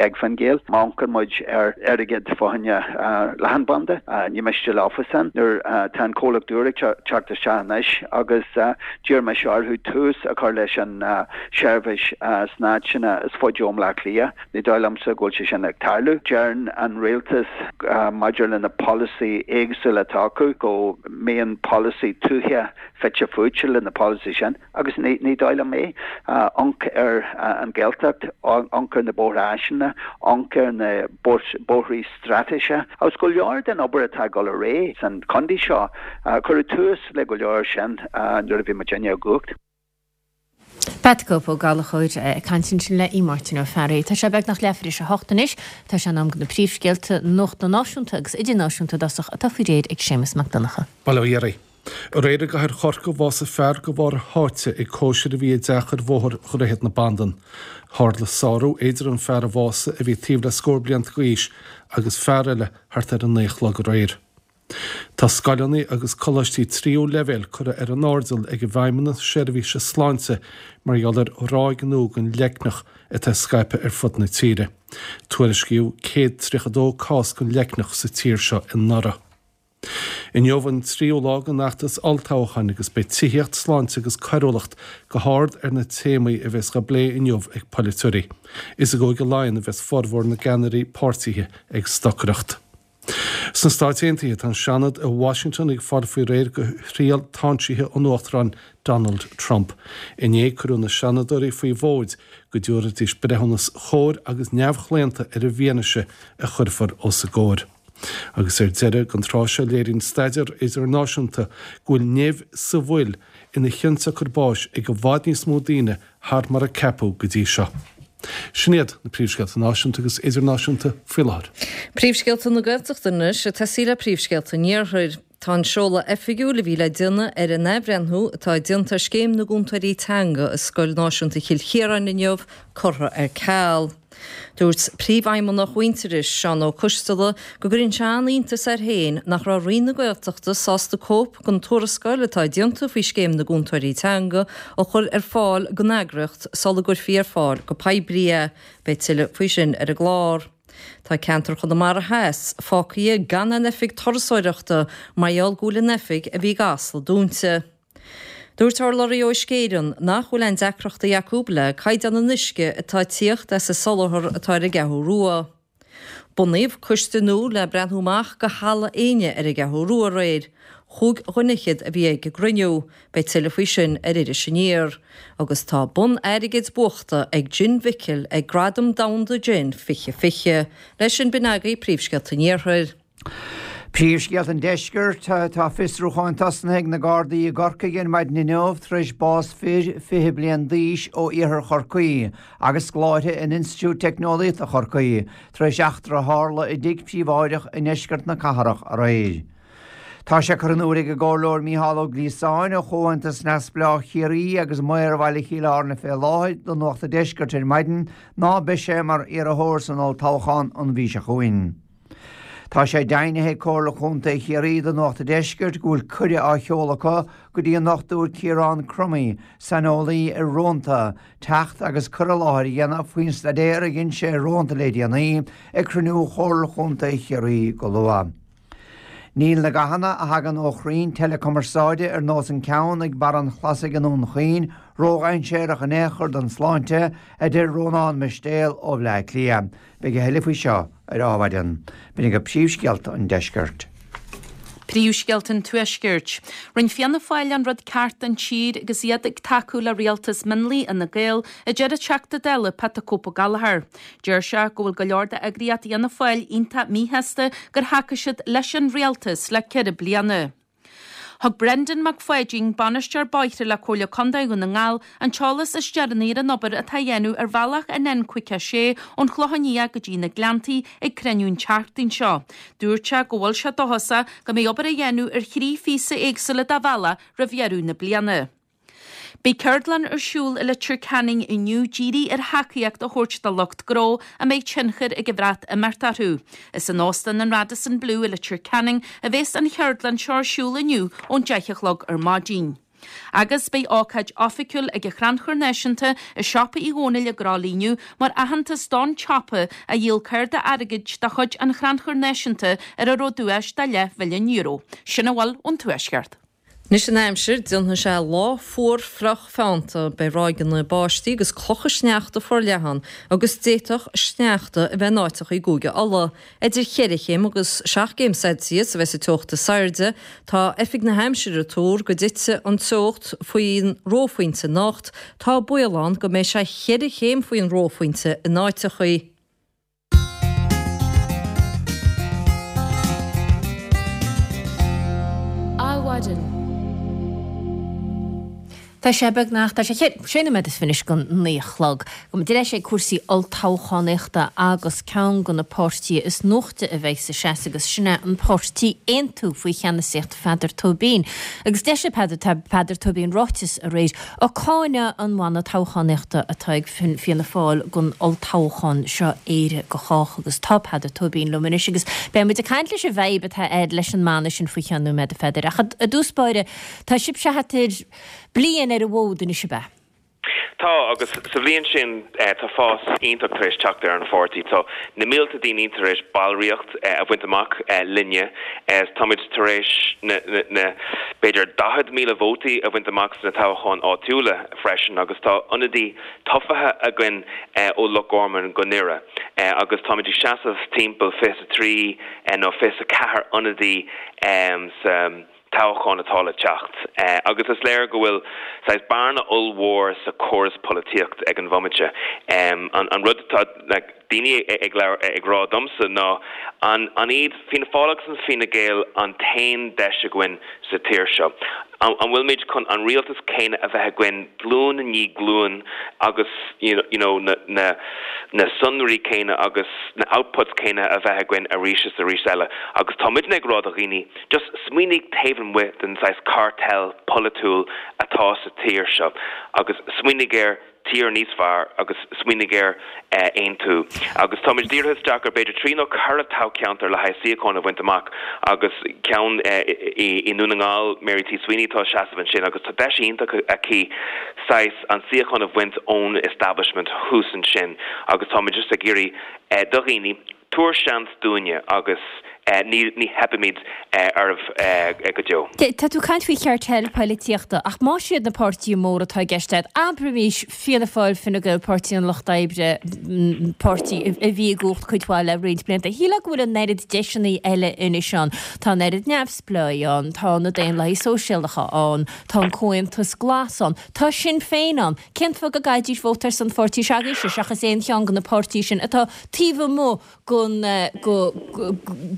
ag Fine Gael. Má amharcann muid ar airgead fá choinne leathanbhanda, ní miste leofa san. Nuair tá an comhlacht úr ag teacht isteach anois agus d'iarr mise orthu tús a chur leis an seirbhís sna háiteanna is faide ó Bhaile Átha Cliath, ní dóigh liomsa go bhfuil sé sin ag tarlú. Deireann an rialtas maidir le na polasaí éagsúla atá acu go mbíonn polasaí tuaithe fite fuaite le na polasaí sin agus ní ní dóigh liom é. Amharc ar an Ghaeltacht, amharc ar na bóithre áiseanna, amharc ar na bóithrí straitéise agus go leor den obair atá ag dul ar aghaidh san chontae seo, cuireadh tús le go leor sin nuair a bhí muidinne i gcumhacht. Pat Cope Ó Gallchóir ag caint ansin le Máirtín Ó Fearraigh. Tá sé beagnach leathuair tar éis a hocht anois. Tá sé in am do na príomhscéalta nuachta náisiúnta agus idirnáisiúnta i dtosach atá faoi réir ag Séamus Mac Donncha. Bail ó Dhia oraibh. Aréir i gcathair Chorcaí bhásaigh fear de bharr a sháite ag cóisir a bhí i dteach ar bhóthar Dhroichead na Bandan. Tharla sárú idir an fear a bhásaigh a bhí taobh le scór blianta d'aois agus fear eile thart ar a naoi a chlog aréir. Tá scoileanna agus coláistí tríú leibhéal curtha ar an airdeall ag an bhFeidhmeannas Seirbhíse Sláinte mar gheall ar ráig nua den leicneach atá scaipthe ar fud na tíre. Tuairiscíodh céad tríocha dó cás den leicneach sa tír seo anuraidh. Inniu an tríú lá den fheachtas olltoghcháin agus beidh tithíocht, sláinte agus coiriúlacht go hard ar na téamaí a bheas á bplé inniu ag polaiteoirí. Is i gCúige Laighean a bheas formhór na gceannairí páirtithe ag stocaireacht. Sna Stáit Aontaithe, tá an Seanad i Washington ag fáil faoi réir do thriail táinsithe an Uachtaráin Donald Trump. Inné cuireadh na Seanadóirí faoi mhóid go dtabharfaidís breithiúnas chóir agus neamhchlaonta ar an bhfianaise a chuirfear os a gcomhair. Agus ar deireadh, don tráth seo léiríonn staidéar idirnáisiúnta go bhfuil nimh sa bhfuil ina chionsiocair báis ag i bhfad níos mó daoine thar mar a ceapadh go dtí seo. Sin iad na príomhscéalta náisiúnta agus idirnáisiúnta faoi láthair. Príomhscéalta na Gaeltachta anois, ag tosaí le príomhscéalta an Iarthair. Tá an seoladh oifigiúil a bhí le déanamh ar an athbhreithniú atá déanta ar Scéim na gCúntóirí Teanga i Scoil Náisiúnta Chill Chiaráin inniu curtha ar ceal. Dúirt Príomhfheidhmeannach Mhuintearais, Seán Ó Coisteala, go gcuireann sé an-iontas air féin nach raibh Roinn na Gaeltachta sásta cóip den tuarascáil atá déanta faoi Scéim na gCúntóirí Teanga a chur ar fáil don eagraíocht sula gcuirfí ar fáil go poiblí é. Beidh tuilleadh faoi sin ar an gclár. Tá ceantar Chonamara Theas fágtha gan aon oifig turasóireachta mar gheall go bhfuil an oifig a bhí i gCasla dúnta. Dúirt urlabhraí ó Uisce Éireann nach bhfuil aon deacrachtaí acu le caighdeán an uisce atá ag tíocht as an soláthar atá ar an gCeathrú Rua. Bunaíodh coiste nua le breathnú amach go Halla Éinne ar an gCeathrú Rua aréir. Chúig dhuine fhichead a bhí ag an gcruinniú. Beidh tuilleadh faoi sin ar Iris Aniar. Agus tá bonn airgid buachta ag Gin Mhicil ag Gradaim Domhanda Gin fiche fiche. Leis sin b'in agaibh príomhscéalta an Iarthair. Príomhscéalta an Deiscirt, Tá fiosrúchán tosnaithe ag na Gardaí i gCorcaigh ar maidin inniu tar éis bás fir fiche bliain d'aois ó iarthar Chorcaí agus scoláire in Institiúid Teicneolaíochta Chorcaí tar éis eachtra a tharla i dtigh príobháideach i ndeisceart na cathrach aréir. Tá sé curtha in iúl ag an gComhairleoir Mícheál Ó Gliasáin ó Chomhaontas Neamhspleách Chiarraí agus Maor Bhaile Chill Airne fé láthair do Nuacht an Deiscirt ar maidin ná beidh sé mar iarrthóir san olltoghchán an mhí seo chugainn. Tá sé deimhnithe ag Comhairle Chontae Chiarraí do Nuacht an Deiscirt go bhfuil cuireadh á sheoladh acu go dtí an Dochtúir Ciarán Crummey, saineolaí ar rónta, teacht agus cur i láthair a dhéanamh faoin staidéar a dhein sé ar rónta le déanaí ag cruinniú Chomhairle Chontae Chiarraí go luath. Níl na gathanna a thagann ó chrainn teileachumarsáide ar nós an ceann ag Barr an Chlasaigh i nDún Chaoin ródhainséarach in aon chor don sláinte, a deir Rónán Mistéil ó Bhleá Cliath. Beidh a thuilleadh faoi seo ar Adhmhaidin. B'in agaibh príomhscéalta an deiscirt. Príomhscéalta an Tuaiscirt. Rinne Fianna Fáil an rud ceart don tír agus iad ag tacú le rialtas mionlaigh Fhine Gael, a deir an Teachta Dála Pat the Cope Ó Gallchóir. Deir sé go bhfuil go leor d'eagraíocht Fhianna Fáil iontach míshásta gur thacaigh siad leis an rialtas le ceithre bliana. Thug Brendan Mac Pháidín, Bainisteoir Bóithre le Comhairle Contae Dhún na nGall, an t-eolas is deireanaí ar an obair atá á dhéanamh ar bhealach an N caoga a sé ón Chlochán Liath go dtí na Gleanntaí ag cruinniú an tseachtain seo. Dúirt sé go bhfuil sé dóchasach go mbeidh obair á dhéanamh ar thrí phíosa éagsúla de bhealach roimh dheireadh na bliana. Beidh ceardlann ar siúl i Leitir Ceanainn inniu dírithe ar thacaíocht a thabhairt do lucht gnó a mbeidh tionchar ag an Bhreatimeacht orthu. Is in Óstán an Radisson Blu i Leitir Ceanainn a bheas an cheardlann seo ar siúl inniu ón deich a chlog ar maidin. Agus beidh ócáid oifigiúil ag an Chrannchur Náisiúnta i Siopa Uí Dhónaill i gCró inniu mar aitheantas don tsiopa a dhíol cárta airgid de chuid an Chrannchuir Náisiúnta ar a raibh duais de leathmhilliún euro. Sin a bhfuil ón Tuaisceart. Anois an aimsir, déanfaidh sé lá fuar fliuch feannta, beidh ráigeanna báistí agus clocha sneachta forleathan agus d'fhéadfadh sneachta a bheith in áiteacha i gCúige Uladh. Idir cheithre chéim agus seacht gcéim Celsius a bheas an teocht is airde. Tá Oifig na hAimsire ag tuar go dtitfidh an teocht faoin reophointe anocht. Tá baol ann go mbeidh sé cheithre chéim faoin reophointe in áiteacha. Adhmhaidin. Tá sé beagnach, tá sé sé nóiméad is fiche anois go naoi a chlog. Gabhfaidh muid ar ais ag cúrsaí olltoghchánaíochta agus ceann de na páirtithe is nuachta a bheidh sa seasamh agus sin é an páirtí Aontú faoi cheannasaíocht Pheadar Tóibín. Agus d'eisigh Peadar Peadar Tóibín ráiteas aréir ag cáineadh an mhana toghchánaíochta atá ag Fianna Fáil don olltoghchán seo Éire do Chách agus tá Peadar Tóibín liom anois agus beidh muid ag caint leis an bhfadhb atá agat leis an mana sin faoi cheann nóiméad a Pheadair. Ach i dtús báire tá sibhse thart ar bliain ar an bhfód anois ab ea? Tá, agus sa bhliain sin tá fás iontach tar éis teacht ar an pháirtí. Tá na mílte daoine tar éis ballraíocht a bhaint amach linne. Táimid tar éis na b'fhéidir daichead míle vótaí a bhaint amach sna toghcháin áitiúla freisin agus tá ionadaí tofa againn ó Loch Garman go nDoire agus táimid ag seasamh timpeall fiche a trí nó fiche a ceathair ionadaí sa toghchán atá le teacht. Agus is léir go bhfuil saghas bearna ollmhór sa chóras polaitíocht ag an bhomaite. An rud atá daoine ag ag rá domsa ná an an iad Fianna Fáil agus an Fine Gael an t-aon deis againn sa tír seo? An bhfuilimid chun an rialtas céanna a bheith againn glúin i ndiaidh glúin agus you know na na na sonraí céanna agus na outputs céanna a bheith againn arís is arís eile? Agus tá muidne ag rá do dhaoine, just smaoinigh taobh amuigh den saghas cartel polaitiúil atá sa tír seo agus smaoinigh ar tír níos fearr agus smaoinigh ar aontú. Agus táimid dírithe isteach ar b'fhéidir trí nó ceithre toghcheantar le haghaidh suíochán a bhaint amach agus ceann i nDún na nGall, Mary T. Sweeney atá ag seasamh ansin agus tá deis iontach aici saghas an suíochán a bhaint ón establishment thuas ansin agus táimid just ag iarraidh do dhaoine Tabhair seans dúinne agus ní ní theipfimid oraibh go deo. Tá tú ag caint faoi chartel poilitíochta, ach más iad na páirtithe móra atá i gceist agat, abraimis Fianna Fáil, Fine Gael, Páirtí an Lucht Oibre, páirtí a bhí i gcumhacht cuid mhaith le roinnt blianta. Shílfeá go bhfuil an oiread deiseanna eile anois ann. Tá an oiread neamhspleáigh ann, tá na Daonlathaigh Sóisialacha ann, tá an Comhaontas Glas ann, tá Sinn Féin ann. Cén fáth go gcaithfidís vóta ar son pháirtí s'agaibhse seachas aon cheann de na páirtithe sin atá taobh amuigh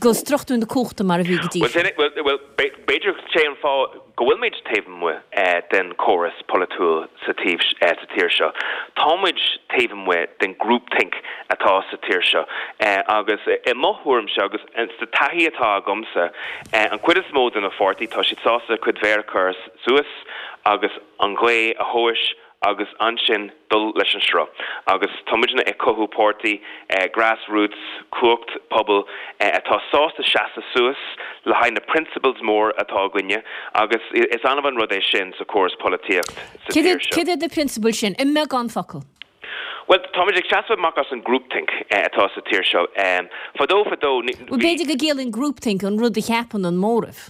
go struchtúr na cumhachta mar a bhí go dtí seo. Bhuel, b'fhéidir sé an fáth go bhfuilimid taobh amuigh den chóras polaitiúil sa tír seo. Táimid taobh amuigh den groupthink atá sa tír seo agus i mo thuairimse agus sa taithí atá agamsa, an chuid is mó de na pháirtí, tá siad sásta a cuid mhéar a chur suas agus an ghaoth a thomhais agus ansin dul leis an sruth. Agus tá muidne ag cothú páirtí grassroots, cumhacht pobail, atá sásta seasamh suas le haghaidh na principles mór atá againne agus is annamh an rud é sin sa chóras polaitíocht sa tír seo. Céard iad na prionsabail sin, i mbeagán focal? Bhuel, táimid ag seasamh amach as an groupthink atá sa tír seo. Fadó fadó, bhí. Bhuel, b'fhéidir go gciallaíonn groupthink an rud a cheapann an móramh.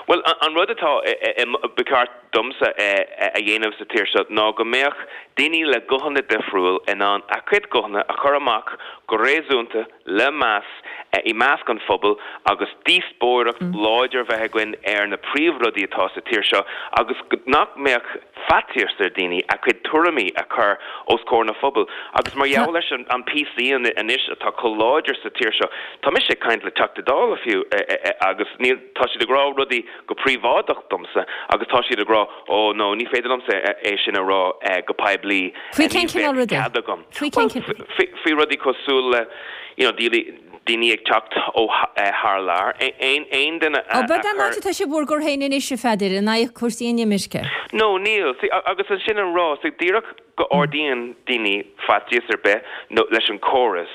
Bhuel, an rud atá, ba cheart domsa a dhéanamh sa tír seo ná go mbeadh daoine le guthanna difriúil in ann a gcuid guthanna a chur amach go réasúnta le meas i measc an phobail agus díospóireacht láidir a bheith againn ar na príomhrudaí atá sa tír seo agus nach mbeadh faitíos ar daoine a gcuid tuairimí a chur os comhair na phobail. Agus mar gheall leis an PC anois atá chomh láidir sa tír seo, tá mise ag caint le Teachta Dála fiú agus níl, tá siad ag rá rudaí go príobháideach domsa agus tá siad ag rá oh no, ní féidir liomsa é sin a rá go poiblí, Faoi cén ní cineál bheadh rudaí? cead agam. Faoi cén Bhuel, cineál? faoi, faoi rudaí cosúil le, you know, daoine ag teacht ó thar lear, aon, aon duine a, Ó, a b'fhéidir chuir. atá sibh bhur gcur féin anois, a Pheadair, in aghaidh cúrsaí inimirce. No, níl. See, agus ansin an rá, see, díreach go ardaíonn daoine faitíos ar bith nó leis an córas,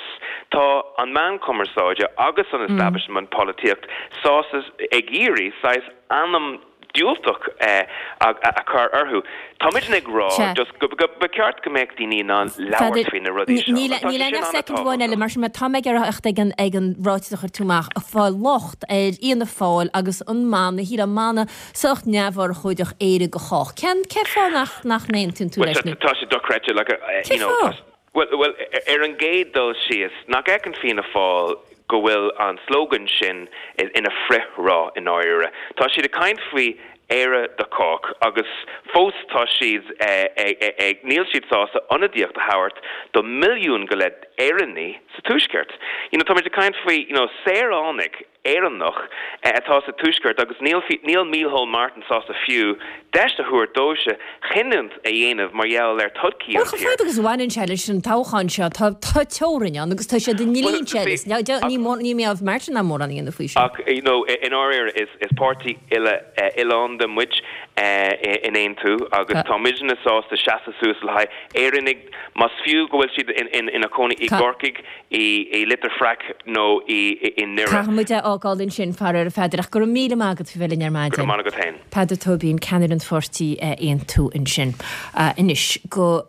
tá an meán cumarsáide agus an establishment polaitíocht sásta ag iarraidh saghas ainm diúltach a chur orthu. Tá muidne ag rá Sea. just go ba cheart go mbeadh daoine in ann labhairt Pheadair, faoi na rudaí seo. níl Tá sé níl sin aon ach soicind amháin eile, an-tábhachtach. mar sin má tá mé ag iarraidh theacht ag an ag an ráiteas a chuir tú amach, ag fáil locht ar Fhianna Fáil agus an mana, shíl an mana sách neamhurchóideach Éire do chách. Cén cén fáth nach nach n-aontaíonn tú Well, leis nó tá sé dochreidte, like, uh, Cén you know, fáth? tá, well, well, ar an gcéad dul síos, nach fheiceann Fianna Fáil go bhfuil an slogan sin ina frithrá i ndáiríre. Tá siad ag caint faoi Éire do chách agus fós tá siad ag níl siad sásta ionadaíocht a thabhairt do milliún go leith Éireannaigh sa Tuaisceart. You know, tá muid ag caint faoi you know, saoránaigh Éireannach atá sa Tuaisceart agus níl níl Micheál Martin sásta fiú deis a thabhairt dóibh cinneadh a dhéanamh mar gheall ar todhchaí Bhuel, an chomh tír. fada agus a bhaineann sé leis an toghchán seo, tá tá teorainn ann agus tá sé i ndlínse Well, eile. Ní ní ní mbeadh Martin ná mórán a dhéanamh faoi sin. Ach you know, i ndáiríre is is páirtí uile oileánda muid in Aontú agus tá muidne sásta seasamh suas le haghaidh Éireannaigh más fiú go bhfuil siad in in ina cónaí i Ca- gCorcaigh i i Leitir Fraic nó i i i nDoire. Caithfidh muid é fhágáil ansin faraor a Pheadair ach go raibh míle maith agat faoi bheith linn ar Go maidin. raibh maith agat féin. Peadar Tóibín ceannaire an pháirtí Aontú ansin. Anois go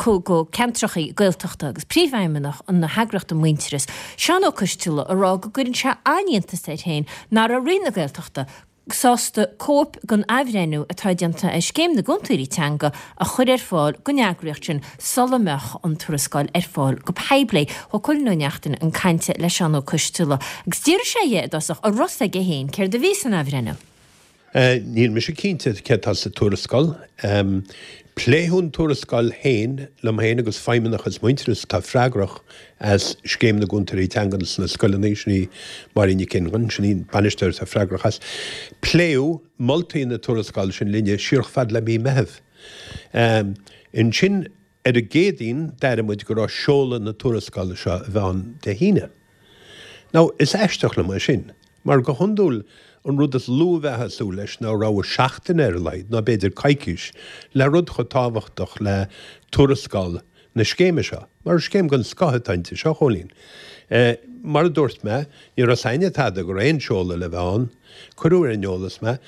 go ceantracha Gaeltachta agus príomhfheidhmeannach an na heagraíochta Muintearas. Seán Ó Coistealbha ag rá go gcuireann sé an-iontas air féin nach raibh Roinn na Gaeltachta sásta cóip den athbhreithniú atá déanta ar scéim na gcúntóirí teanga a chur ar fáil don eagraíocht sin sula mbeadh an tuarascáil ar fáil go poiblí. Thug Cóilín Ó Neachtain chun cainte le Seán Ó Coistealbha agus d'iarr sé dhe i dtosach an raibh a fhios aige féin céard a bhí san athbhreithniú. Níl mise cinnte céard atá sa tuarascáil. Pléadh an tuarascáil féin liom féin agus feidhmeannachas Muintearas atá freagrach as scéim na gcúntóirí teanga sna scoileanna, sin í Máirín Nic Fhionnghain, sin í an bainisteoir atá freagrach as. Pléadh moltaí na tuarascála sin linne siar chomh fada le mí Meitheamh. Ansin ar an gCéadaoin d'airigh muid go raibh seoladh na tuarascála seo a bheith ann Dé hAoine. Now, is aisteach liom é sin, mar go hiondúil an rud is lú a bheifeá ag súil leis ná rogha seachtaine ar a laghad, nó b'fhéidir coicís, le rud chomh tábhachtach le tuarascáil na scéime seo, mar is scéim den scoth atá inti seo, a Chóilín. Mar a dúirt mé, ní raibh a fhios againne tada go raibh aon seoladh le bheith ann. Cuireadh ar an eolas mé.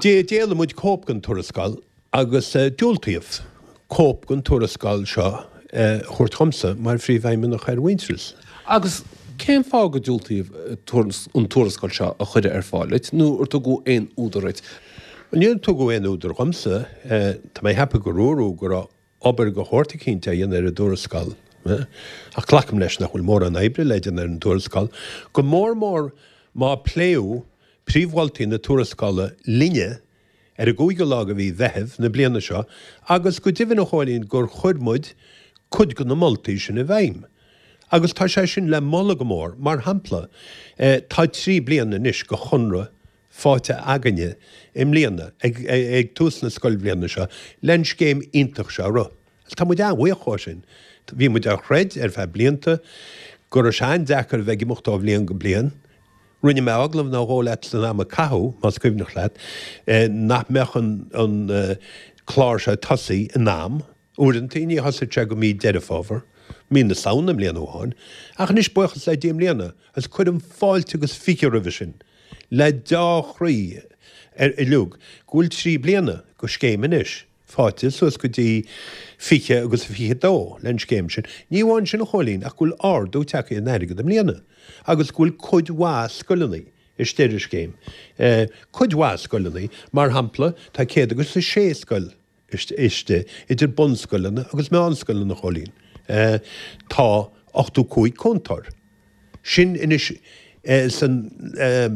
D'éiligh muid cóip den tuarascáil agus diúltaíodh cóip den tuarascáil seo a thabhairt dhomsa mar phríomhfheidhmeannach ar Mhuintearas. Agus cén fáth go diúltaíodh an tuarascáil seo a chur ar fáil duit, nó ar tugadh aon údar duit? Níor tugadh aon údar dhomsa. Tá mé ag ceapadh gur dúradh go raibh obair de shórt eicínt á dhéanamh ar an dtuarascáil. Ach glacaim leis nach bhfuil mórán oibre le déanamh ar an tuarascáil, go mór mór má pléadh príomh-mholtaí na tuarascála linne ar an gcúigiú lá de mhí Mheithimh na bliana seo agus go deimhin, a Chóilín, gur chuir muid cuid de na moltaí sin i bhfeidhm. Agus tá sé sin le moladh go mór. Mar shampla, tá trí bliana anois de chonradh faighte againne i mbliana, ag tús na scoilbhliana seo, len scéim iontach seo a rith. Agus tá muid an-bhuíoch dhó sin. Bhí muid á throid ar feadh blianta go raibh sé an-deacair a bheith ag imeacht ó bhliain go bliain. Rinne mé agallamh nó dhó leat san am a caitheadh, más cuimhneach leat, nach mbeadh an clár seo ag tosaí in am. Uaireanta ní thosaigh sé go mí Deireadh Fómhair, mí na Samhna bliain amháin, ach anois buíochas le Dia i mbliana, agus cuirim fáilte agus fiche roimhe sin, le deá-chroí uilig, go bhfuil trí bliana go scéim anois faighte suas go dtí fiche agus a fiche dó len scéim sin. Ní amháin sin a Chóilín ach go bhfuil ardú tagtha in airgead i mbliana agus go bhfuil cuid mhaith scoileanna istigh ar an scéim. Cuid mhaith scoileanna, mar shampla, tá céad agus a sé scoil istigh, idir bunscoileanna agus meánscoileanna, a Chóilín. Tá ochtó cúig cúntóir. Sin anois san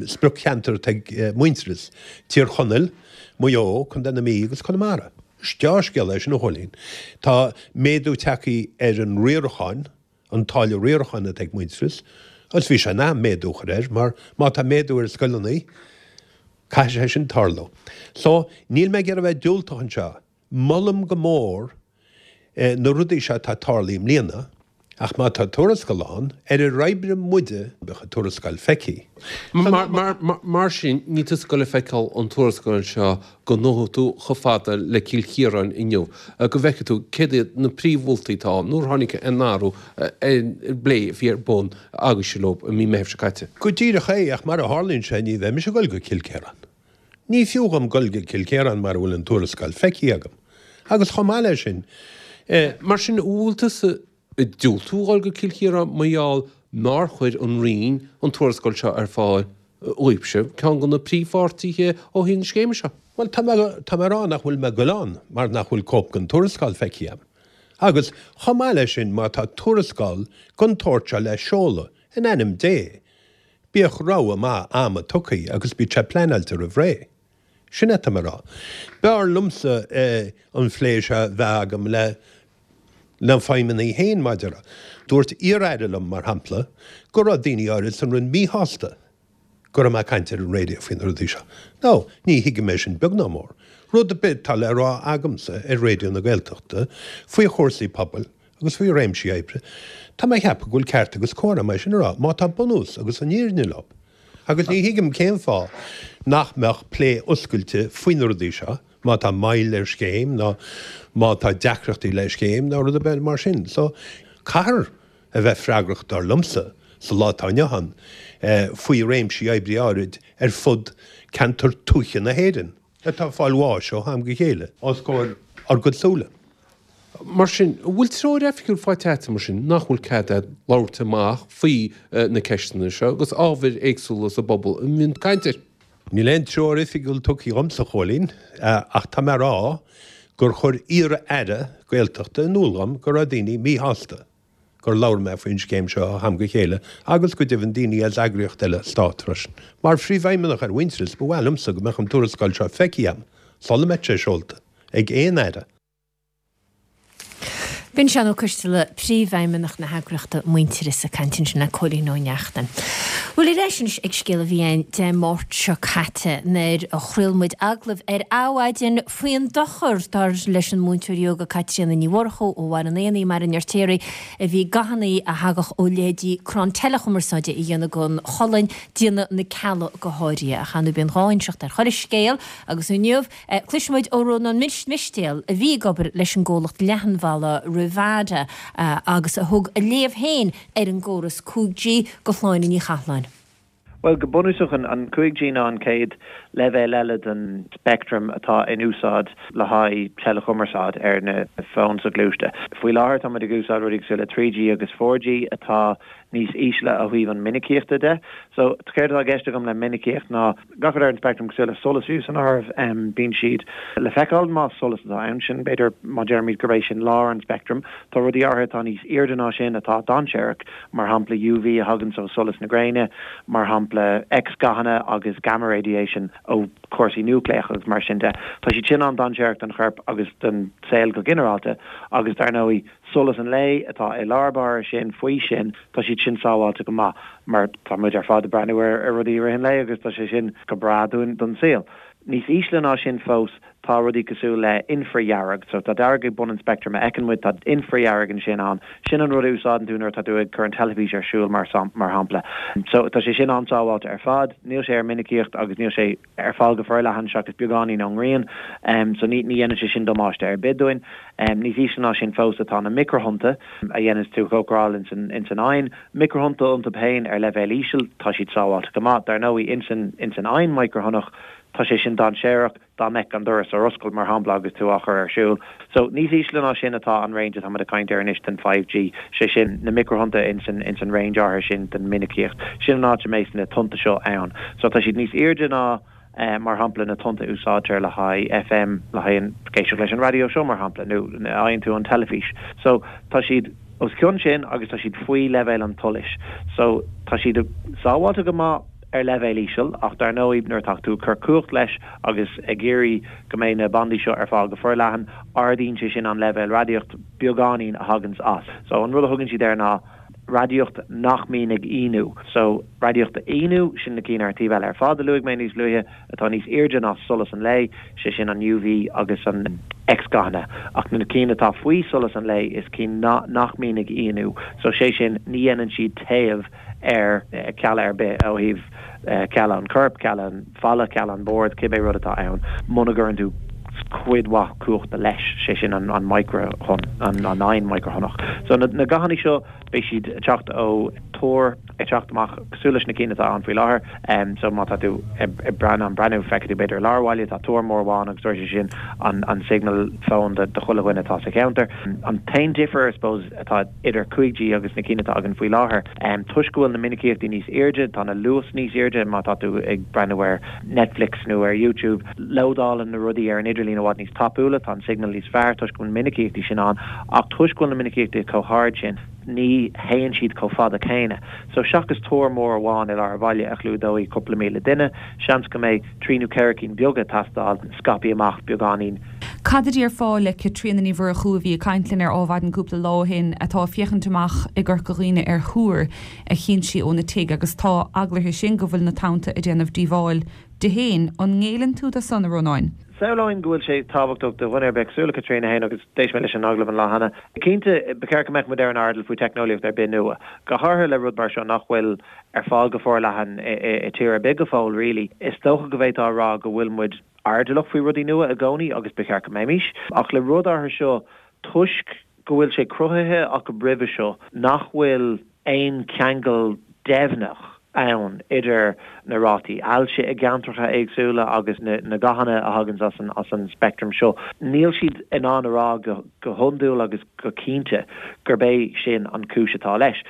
sprioc-cheantar atá ag Muintearas, Tír Chonaill, Maigh Eo, Contae na Mí agus Conamara. Is deá-scéal é sin, a Chóilín. Tá méadú tagtha ar an riarachán, an táille riaracháin atá ag Muintearas, agus bhí sé in am méadú a chur air mar má tá méadú ar scoileanna, caithfidh sé sin tarlú. So, níl mé ag iarraidh a bheith diúltach anseo. Molaim go mór na rudaí seo atá tarlaithe i mbliana, ach má tá tuarascáil ann, ar ar oibrigh muide, bheadh an tuarascáil feicthe. Mar sin, níl tusa ag goil a feiceáil an tuarascáil seo go ngabhfaidh tú chomh fada le Cill Chiaráin inniu, go bhfeicfidh tú céard iad na príomh-mholtaí atá ann, nár tháinig aon athrú ar an bplé a bhí ar bun agaibhse leo i mí Meithimh seo caite. Go díreach é, ach mar a tharlaíonn sé, ní bheidh mise ag goil go Cill Chiaráin. Ní fiú dhom goil go Cill Chiaráin mara bhfuil an tuarascáil feicthe agam. Agus chomh maith leis sin, eh. Mar sin, an bhfuil tusa ag diúltú dhul go Cill Chiaráin mar gheall nár chuir an Roinn an tuarascáil seo ar fáil dhaoibhse, ceann de na príomhpháirtithe ó thaobh na scéime seo? Bhuel, tá mé, tá mé ag rá nach bhfuil mé ag goil ann mar nach bhfuil cóip den tuarascáil feicthe agam. Agus chomh maith leis sin, má tá tuarascáil den tsórt seo le seoladh, in ainm Dé, bíodh rogha maith ama tugtha agus bíodh sé pleanáilte roimh ré. Sin é atá mé a rá. B'fhearr liomsa an phlé seo a bheith agam le na feidhmeannaigh féin maidir. Dúirt iar-aire liom, mar shampla, go raibh daoine áirid san Roinn míshásta go raibh mé ag caint ar an raidió faoi na rudaí seo. Now, ní thuigim é sin beag ná mór. Rud ar bith atá le rá agamsa ar Raidió na Gaeltachta faoi chúrsaí pobail agus faoi réimsí oibre, tá mé a cheapadh go bhfuil ceart agus cóir agam é sin a rá, má tá bunús agus an fhírinne leo. Agus ní thuigim cén fáth nach mbeadh plé oscailte faoi na rudaí seo, má tá moill ar scéim nó má tá deacrachtaí le scéim nó rud ar bith mar sin. So, caithfear a bheith freagrach, dar liomsa, sa lá atá inniu ann, faoi réimsí oibre áirid ar fud ceantar tuaithe na hÉireann atá ag fáil bháis ó am go chéile os comhair ár gcuid súile. Mar sin, an bhfuil treoir oifigiúil faighte agat mar sin nach bhfuil cead agat labhairt amach faoi na ceisteanna seo agus ábhair éagsúla sa bpobal a mbíonn caint air? Níl aon treoir oifigiúil tugtha dhomsa, a Chóilín, ach tá mé a rá gur chuir iar-aire Gaeltachta in iúl dhom go raibh daoine míshásta gur labhair mé faoin scéim seo ó ham go chéile agus go deimhin daoine as eagraíocht eile stáit freisin. Mar phríomhfheidhmeannach ar Mhuintearas, ba mhaith liomsa go mbeadh an tuarascáil seo feicthe agam sula mbeadh sé seolta ag aon aire. B'in Seán Ó Coisteala, Príomhfheidhmeannach na heagraíochta Muintearas ag caint ansin le Cóilín Ó Neachtain. Bhuel, ar ais anois ag scéal a bhí ann Dé Máirt seo caite nuair a chraol muid agallamh ar Adhmhaidin faoin dochar, dar leis an múinteoir ióga Caitríona Ní Mhurchú ó Bhaile an Éanaigh i mBaile an Fheirtéaraigh, a bhí gathanna a thagadh ó leithéidí crann teileachumarsáide a dhéanamh don cholainn, déanamh na cealla go háirithe. Ach ar ndóigh bíonn dhá inseacht ar chuile scéal agus inniu, Cloisfidh muid ó Rónán Mistéil, a bhí ag obair leis an gcomhlacht leathanbhanda Rivada agus a thug a léamh féin ar an gcóras cúig G do Shláine Ní Chathláin. Bhuel, go bunúsach, an cúig G ná an chéad leibhéal eile den speictream atá in úsáid le haghaidh teileachumarsáid ar na fóin soghluaiste. Faoi láthair, táimid ag úsáid rudaí cosúil le trí G agus four G atá níos ísle ó thaobh an minicíochta de. So, céard atá i gceist agam le minicíocht ná gach rud ar an speictream cosúil le solas fiú san áireamh, bíonn siad le feiceáil más solas atá ann, sin b'fhéidir má deirimid gurb é sin lár an speictrim. Tá rudaí áirithe atá níos airde ná sin atá dainséarach, mar shampla U V a thaganns ó solas na gréine, mar shampla X-ghathanna agus gamma radiation ó chúrsaí núicléacha agus mar sin de. Tá siad sin an-dainséarach don chorp agus don saol go ginearálta agus dar ndóigh solas an lae atá i lár báire sin, faoi sin, tá siad sin sábháilte go maith mar tá muid ar fad ag breathnú ar rudaí i rith an lae agus tá sé sin go breá dúinn don saol. Níos ísle ná sin fós tá rudaí cosúil le infridhearg, so tá dearg ag bun an speictrim a fheiceann muid, tá infridhearg ansin ann, sin an rud a úsáideann tú nuair atá tú ag cur an teilifís ar siúl mar mar shampla. So tá sé sin an-sábháilte ar fad, níl sé ar minicíocht agus níl sé ar fáil go forleathan seachas beagáinín ón ngrian, so ní ní dhéanann sé sin damáiste ar bith dúinn. Níos ísle ná sin fós atá na micreathonnta a dhéananns tú cócaráil ins an ins an oigheann. Micreathonnta iontu féin ar leibhéal íseal, tá siad sábháilte go maith. Dar ndóigh, ins an ins an oigheann micreathonnach Tá sé sin dainséarach dá mbeadh an doras ar oscailt mar shampla agus tú á chur ar siúl. So níos ísle ná sin atá an range atá muid ag caint air anois den five G, sé sin na micreathonnta ins an ins an range áirithe sin den mhinicíocht. Sin an áit a mbeidh na tonnta seo ann. So tá siad níos airde ná mar shampla na tonnta a úsáidtear le haghaidh F M, le haghaidh an éisteacht leis an raidió seo mar shampla nó a fhaigheann tú ón teilifís. So tá siad os cionn sin agus tá siad faoi leibhéal an tsolais. So tá siad sábháilte go maith ar leibhéal íseal ach dar ndóigh nuair atá tú ag cur cumhacht leis agus ag iarraidh go mbeidh na bandaí seo ar fáil go forleathan, ardaíonn sé sin an leibhéal radaíocht beagáinín a thaganns as. So an rud a thugann siad air ná radaíocht nach mbíonn ag íonú. So radaíocht a íonú, sin na cinn ar an taobh eile ar fad a luaigh mé níos luaithe, atá níos airde ná solas an lae, sé sin an U V agus an X-gathanna. Ach na cinn atá faoi solas an lae is cinn nach mbíonn ag íonú. So sé sin ní dhéanann siad téamh ar cealla ar bith ó thaobh cealla an choirp, cealla an falla, cealla an bord, cibé rud atá ann, muna gcuireann tú cuid mhaith cumhachta leis, sé sin an micreathonn, an an micreathonnach. So na na gathanna seo beidh siad ag teacht ó túr ag teacht amach cosúil leis na cinn atá ann faoi láthair. Um, so má tá tú ag breathnú breathnú feicfidh tú b'fhéidir i lár bhaile tá túr mór amháin agus sé sin an an signal fóin do do chuile dhuine atá sa cheantar. An t-aon difear I suppose atá idir cúig G agus na cinn atá againn faoi láthair. Um, toisc go bhfuil na minicíochtaí níos airde, tá na luas níos airde má tá tú ag breathnú ar Netflix nó ar YouTube, lódálann na rudaí ar an idirlíon i bhfad níos tapúla, tá an signal níos fearr toisc go bhfuil minicíochtaí sin ann, ach toisc go bhfuil na minicíochtaí chomh hard sin, ní théann siad chomh fada céanna. So seachas túr mór amháin i lár an bhaile a chlúdóidh cúpla míle duine, seans go mbeidh trí nó ceithre cinn beaga ag teastáil scaipthe amach beagáinín. Cad a déarfá le Caitríona Ní Mhurchú a bhí ag caint linn ar Adhmhaidin cúpla lá ó shin atá ag féachaint amach i gCorca Dhuibhne ar thúr a chinn sí óna tigh agus tá eagla uirthi sin go bhfuil na tonnta ag déanamh díobháil di féin. An ngéilleann tú dó san, a Rónáin? Samhlaím go bhfuil sé tábhachtach do dhuine ar bith cosúil le Caitríona féin agus d'éist mé leis an agallamh an lá cheana. Cinnte ba cheart go mbeadh muid ar an airdeall faoi teicneolaíocht ar bith nua. Go háirithe le rud mar seo nach bhfuil ar fáil go forleathan i tír ar bith go fóill really. Is dócha go bhféadfá a rá go bhfuil muid airdeallach faoi rudaí nua i gcónaí agus ba cheart go mbeimis. Ach le rud áirithe seo toisc go bhfuil sé cruthaithe acu roimhe seo nach bhfuil aon cheangal deimhneach ann idir na rátaí ailse i gceantracha éagsúla agus na, na gathanna a thagann as an, as an spectrum seo. Níl siad in ann a rá go, go hiondúil agus go cinnte gurb é sin an cúis atá leis.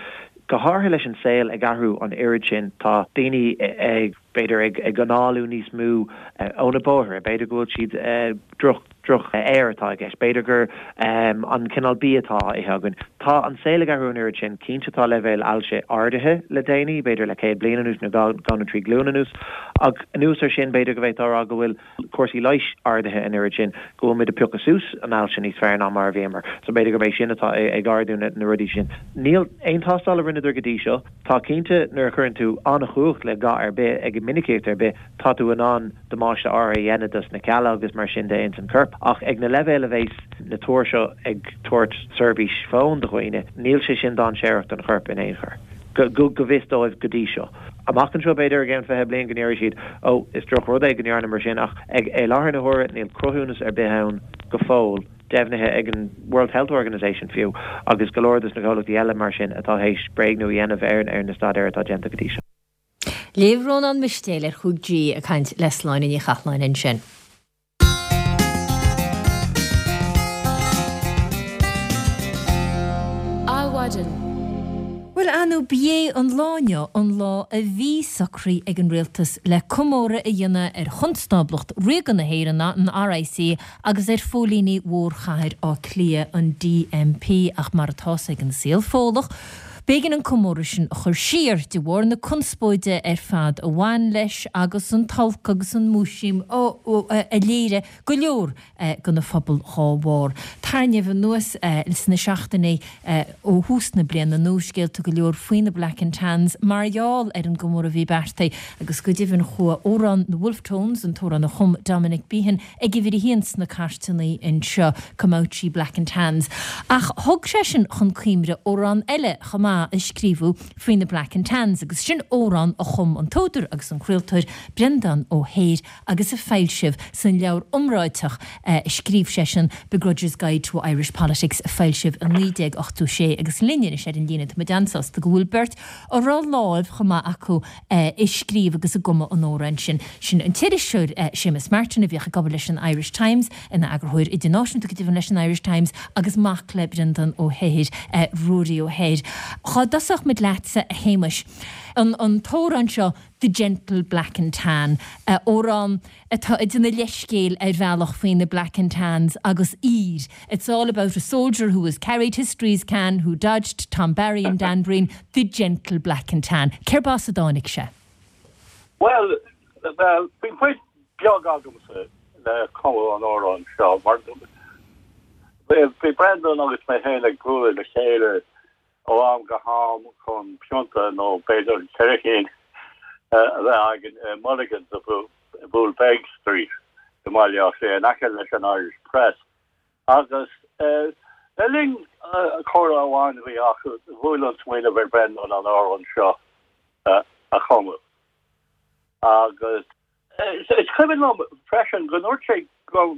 Go háirithe leis an saol ag athrú an oiread sin tá daoine ag b'fhéidir ag ag análú níos mó ó na bóithre, b'fhéidir go bhfuil siad droch droch aer atá i gceist, b'fhéidir gur um, an cineál bia atá á ithe againn. Tá an saol ag athrú an oiread sin, cinnte tá leibhéal ailse ardaithe le déanaí, b'fhéidir le céad bliain anuas nó dhá nó trí glúin anuas, ach anuas ar sin b'fhéidir go bhféadfá a rá go bhfuil cúrsaí leighis ardaithe an oiread sin go bhfuil muid ag piocadh suas an ailse níos fearr ná mar a bhíomar. So b'fhéidir gurb é sin atá ag ardú na, na rudaí sin. Níl aon tástáil a rinneadar go dtí seo, Tá cinnte nuair a chuireann tú an-chumhacht le ga ar bith ag minicíocht ar bith, tá tú in ann damáiste áirithe a dhéanamh dos na cealla agus mar sin de ins an corp, ach ag na leibhéil a bheas na túir seo ag tabhairt seirbhís fóin do dhaoine, níl sé sin dainséarach don chorp in aon chor. Go go go bhfios dóibh go dtí seo. Amach anseo b'fhéidir i gceann fiche bliain go ndéarfaidh siad ó is drochrud é go ndearna mar sin ach ag i láthair na huaire níl cruthúnas ar bith ann go fóill deimhnithe ag an World Health Organization fiú agus go leor dos na comhlachtaí eile mar sin atá théis bréagnú a dhéanamh ar ar na staidéir atá déanta go dtí seo. Léamh Rónán Mistéil ar chúig G ag caint le Sláine Ní Chathalláin ansin. Adhmhaidin. Bhuel anu b'é an lá inniu an lá a bhí socraithe ag an rialtas le comóradh a dhéanamh ar Chonstáblacht Ríoga na hÉireann an R I C agus ar phóilíní mhórchathair Átha Cliath an D M P ach mar atá ag an saol Fódlach. B'éigean an comóradh sin a chur siar de bharr na conspóide ar fad a bhain leis agus an t-olc agus an múisiam a léirigh go leor den phobal dhá bharr. Tarraingíodh anuas sna seachtainí ó thús na bliana nuascéalta go leor faoi na Black and Tans mar gheall ar an gcomóradh a bhí beartaithe agus go deimhin chuaigh amhrán na Wolfe Tones an t-amhrán a chum Dominic Behan ag uimhir a haon sna cairteanna anseo Come Out Ye Black and Tans. Ach thug sé sin chun cuimhne amhrán eile chomh maith. maith a scríobhadh faoi na Black and Tans agus sin amhrán a chum an t-údar agus an craoltóir Breandán Ó hEithir agus a foilsíodh san leabhar iomráiteach a scríobh seisean Begrudger's Guide to Irish Politics a foilsíodh i naoi déag ochtó sé agus linn anois ar an líne tá muid an-sásta go bhfuil beirt a raibh láimh chomh maith acu i scríobh agus i gcumadh an amhráin sin. Sin an t-iriseoir Séamus Martin a bhíodh ag obair leis an Irish Times, ina eagarthóir idirnáisiúnta go deimhin leis an Irish Times agus mac le Breandán Ó hEithir, Ruairí Ó hEithir. Dhá dtosódh muid leatsa a Shéamuis, an an t-amhrán seo The Gentle Black and Tan, amhrán atá ag déanamh leithscéil ar bhealach faoi na Black and Tans agus aoir, It's all about a soldier who has carried history's can, who dodged Tom Barry and Dan Breen, the gentle black and tan. Cérb as a dtáinig sé? Bhuel, bhí cuid beag agamsa le cumadh an amhráin seo mar bhí Brendan agus mé féin ag bualadh le chéile ó am go ham chun pionta nó b'fhéidir ceithre cinn a bheith againn i Mulligan's i Poolbeg Street i mBaile Átha Cliath in aice leis an Irish Press agus le linn comhrá amháin a bhí acu bhuail an smaoineamh ar Brendan an amhrán seo a chumadh agus is cuimhin liom freisin go ndúirt sé go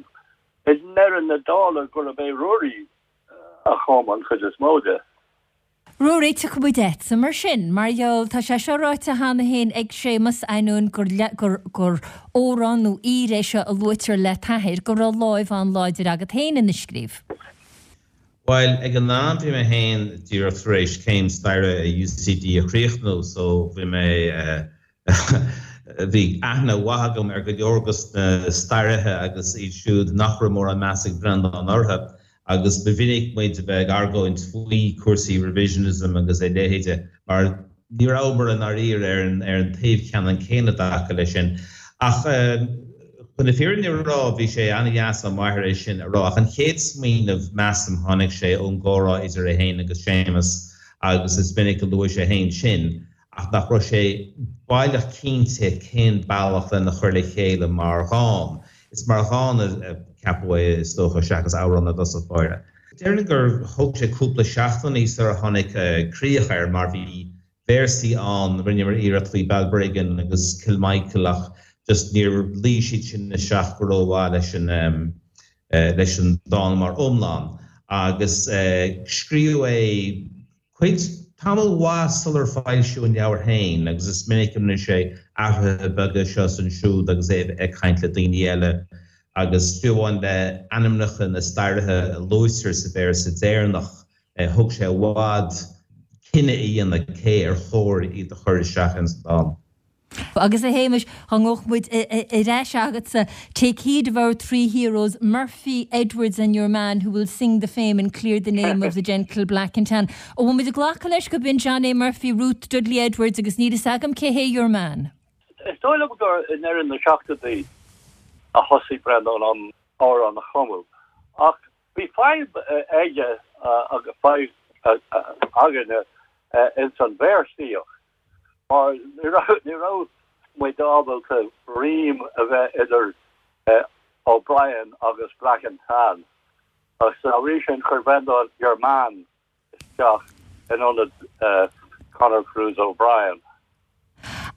i ndeireadh na dála gurb é Ruairí a chum an chuid is mó de. Ruairí, tiocfaidh muid a'tsa mar sin, mar gheall, tá sé seo ráite cheana féin ag Séamus, ainneoin gur gur gur amhrán nó aoir é seo a luaitear le t'athair, go raibh láimh an-láidir agat féin ina scríobh. Bhuel, ag an am bhí mé féin díreach tar éis céim staire i U C D a chríochnú so bhí mé bhí aithne mhaith agam ar go leor dos na staraithe agus iad siúd nach raibh mórán meas ag Breandán orthu agus ba mhinic muid a bheith ag argóint faoi cúrsaí revisionism agus a leithéide mar ní rabhamar i ndáiríre ar an ar an taobh ceannann céanna i dtaca leis sin. Ach chun na fírinne a rá bhí sé an-deas ó m'athair é sin a rá ach an chéad smaoineamh measaim tháinig sé ón gcomhrá idir é féin agus Séamus agus is minic a luaigh sé féin sin ach nach raibh sé baileach cinnte cén bealach lena chur le chéile mar dhán. Is mar dhán a ceapadh é is dócha seachas amhrán i dtosach báire. Déarfainn gur thóg sé cúpla seachtainí sar a tháinig críoch air mar bhí véarsaí ann, rinneamar iarracht faoi Balbriggan agus Kilmichael ach just níor luigh siad sin isteach go rómhaith leis an leis an dán mar iomlán. Agus scríobhadh é cuid tamall mhaith sular foilsíodh an leabhar féin agus is minic a rinne sé athruithe beaga seo is ansiúd agus é ag caint le daoine eile agus fiú amháin le ainmneacha na staraithe a luaitear sa véarsa deireanach thóg sé i bhfad cinneadh a dhéanamh cé ar chóir iad a chur isteach ins an dán. Agus a Shéamais, dá ngabhadh muid ar ais agatsa, Take heed of our three heroes, Murphy, Edwards and your man who will sing the fame and clear the name of the gentle black and tan. Ó bhfuil muid ag glacadh leis gurb in John A. Murphy, Ruth Dudley Edwards agus níl fhios agam cé hé your man. Is dóigh liom gur i ndeireadh na seachtóidí a thosaigh Breandán an amhrán a chumadh ach bhí fadhb aige agus fadhb againne ins an véarsaíocht mar ní raibh muid ábalta rím a bheith idir O'Brien agus Black and Tan agus dá bhrí sin chuir Breandán your man isteach in ionad Conor Cruise O'Brien.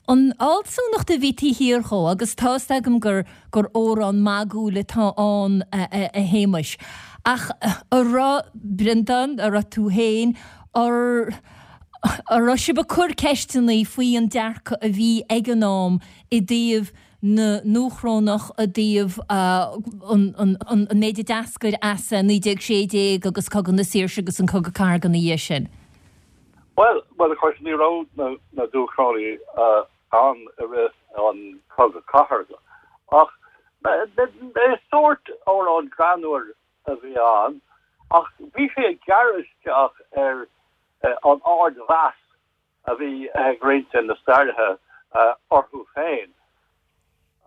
An fhealsúnacht a bhí taobh thiar dhó agus tá's agam gur gur amhrán magúil atá ann a Shéamais. Ach a raibh Breandán, a raibh tú féin, ar a raibh sibh ag cur ceisteanna faoi an dearcadh a bhí ag an am i dtaobh na nDúchrónach, i dtaobh an méid a d'eascair as naoi déag sé déag agus Cogadh na Saoirse agus an Cogadh Cathartha ina dhiaidh sin? Bhuel, well of course ní raibh na na Dúchrónaigh ann i rith an Cogadh Cathartha ach is sórt amhrán greannmhar a bhí ann ach bhí sé ag gearradh isteach ar an ardmheas a bhí ag roinnt de na staraithe orthu féin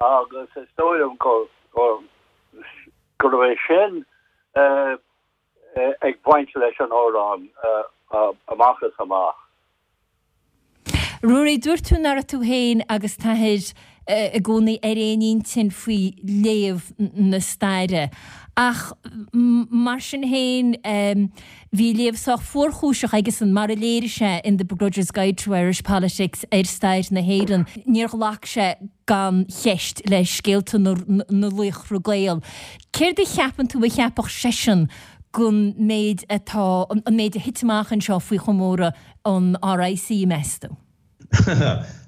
agus is dóigh liom go go raibh é sin ag baint leis an amhrán amach is amach. Ruairí, dúirt tú nach raibh tú féin agus t'athair i gcónaí ar aon intinn faoi léamh na staire. Ach mar sin féin, bhí léamh sách fuarchúiseach aigesan, mar a léirigh sé in The Begrudger's Guide to Irish Politics ar stair na hÉireann. Níor ghlac sé gan cheist le scéalta na laochra Gael. Céard a cheapann tú a cheapfadh seisean gon méid atá, an méid a thit amach anseo faoi chomóradh an RIC, meas tú?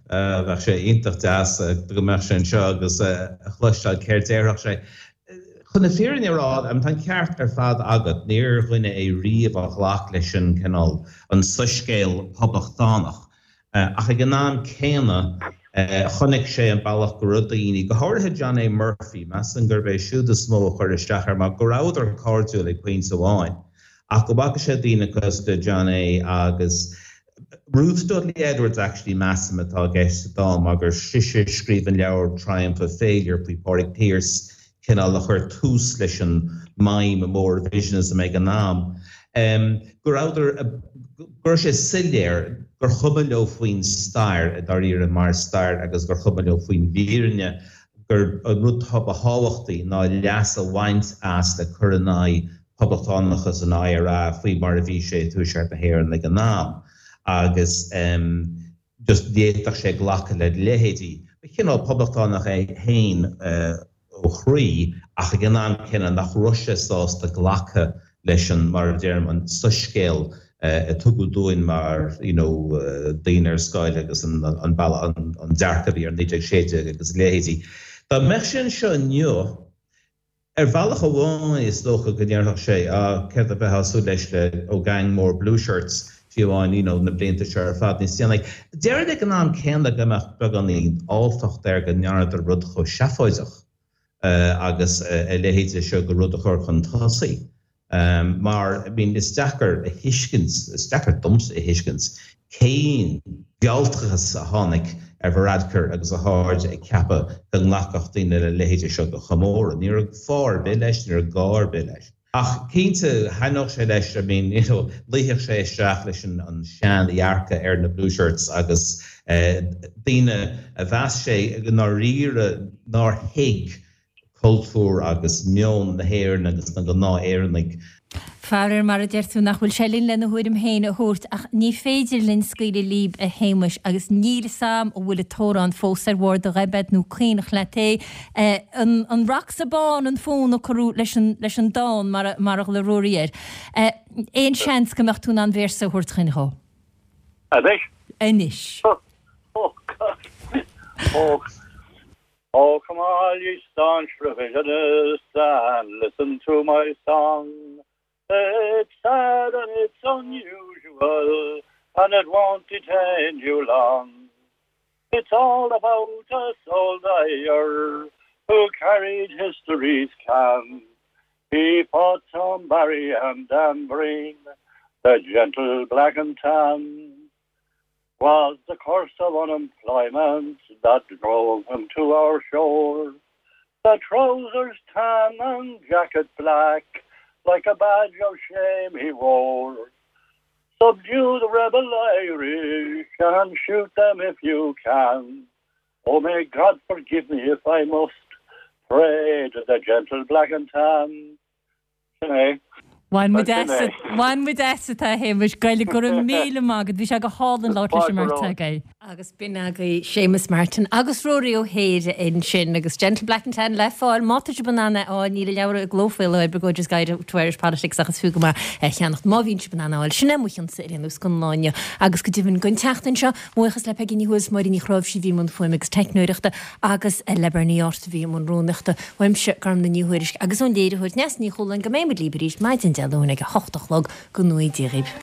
Bheadh sé iontach deas go mbeadh sé anseo agus a chloisteáil céard déarfadh sé. Chun na fírinne a rá, tá an ceart ar fad agat, níor dhuine é riamh a ghlac leis an cineál, an soiscéal poblachtánach. Ach ag an am céanna, chonaic sé an bealach go raibh daoine, go háirithe John A. Murphy, measaim gurb é siúd is mó a chuir isteach air mar go rabhadar cairdiúil ag pointe amháin, ach go bhfaca sé daoine cosúil le John A. agus Ruth Dudley Edwards actually measaim atá i gceist sa dán mar gur sise a scríobh an leabhar Triumph of Failure faoi Phádraig Pearse, cineál a chuir tús leis an maidhm mór revisionism ag an am, go rabhadar, go raibh sé soiléir gur chuma leo faoin stair i dáiríre mar stair agus gur chuma leo faoin bhfírinne, gur an rud ba thábhachtaí ná leas a bhaint as le cur in aghaidh poblachtánachas an IRA faoi mar a bhí sé i dTuaisceart na hÉireann ag an am agus just ní fhéadfadh sé glacadh le leithéidí. Ba chineál poblachtánach é féin ó chroí ach ag an am céanna nach raibh sé sásta glacadh leis an, mar a deirim, an soiscéal a tugadh dúinn mar you know daoine ar scoil agus an an bealach an dearcadh a bhí ar naoi déag sé déag agus a leithéidí. Dá mbeadh sé anseo inniu, Ar bhealach amháin is dócha go ndéarfadh sé, ah, céard a bheifeá ag súil leis le ó gang mór Blueshirts, fiú amháin, you know, na blianta seo ar fad níos déanaí. Déarfainn ag an am céanna go mbeadh beagáinín alltacht air go ndearnadar rud chomh seafóideach agus a leithéid seo de rud a chur chun tosaigh. Mar, I mean, is deacair a thuiscint, is deacair domsa a thuiscint cén mhealltachas a tháinig ar Varadkar agus a chairde ag ceapadh go nglacfadh daoine le leithéide seo de chomóradh. Ní raibh fáth ar bith leis, ní raibh gá ar bith leis. Ach cinnte, thaitneodh sé leis, I mean, you know, luífeadh sé isteach leis an sean-dhearcadh ar na Blueshirts agus daoine a mheas sé i ndáiríre nár thuig cultúr agus meon na hÉireann agus na ngnáth-Éireannaigh. Faraor, mar a deir tú, nach bhfuil sé linn lena thuairim féin a thabhairt, ach ní féidir linn scaoileadh líb, a Shéamais, agus níl 'fhios a'm an bhfuil an t-amhrán fós ar bharr do ghoib nó caonach leat é. An An Raxa Bán an fonn a cuireadh leis an leis an dán, mar a mar a ghlaoigh Ruairí air. Aon seans go mbeadh tú in ann véarsa a thabhairt chuinn dhó? Anois? Anois. Oh God. Oh. Oh, come all ye staunch revisionists and listen to my song. It's sad and it's unusual and it won't detain you long. It's all about a soldier who carried history's can. He fought Tom Barry and Dan Breen, the gentle black and tan. 'Twas the curse of unemployment that drove him to our shore. The trousers tan and jacket black, like a badge of shame he wore. Subdue the rebel Irish and shoot them if you can. Oh, may God forgive me if I must pray to the gentle black and tan. Sin é. Bhain muid as, bhain muid asat a Shéamais, Gaeilge, go raibh míle maith agat, bhí sé go hálainn labhairt leis an mbeirt agaibh. Agus b'in agaibh Séamus Martin agus Ruairí Ó hEadhra ansin agus Gentle Black and Tan le fáil má tá sibh in ann é a fháil, níl an leabhar i gcló faoi láthair, Begrudger's Guide to Irish Politics ach is fiú go maith é a cheannacht má bhíonn sibh in ann é a fháil. Sin é mo chionsa ar aon nós don lá inniu agus go deimhin don tseachtain seo, buíochas le Peigí Ní Thuathail, Máire Ní Chráimhsí a bhí i mbun fuaime agus teicneoireachta agus le Bernie Art a bhí i mbun rúnaíochta. Uaimse, Gormlaith Ní Thuairisg agus ón léiritheoir Neasa Ní Chualáin go mbeidh muid libh arís maidin Dé Luain ag a hocht a chlog go ngnóthaí Dia dhaoibh.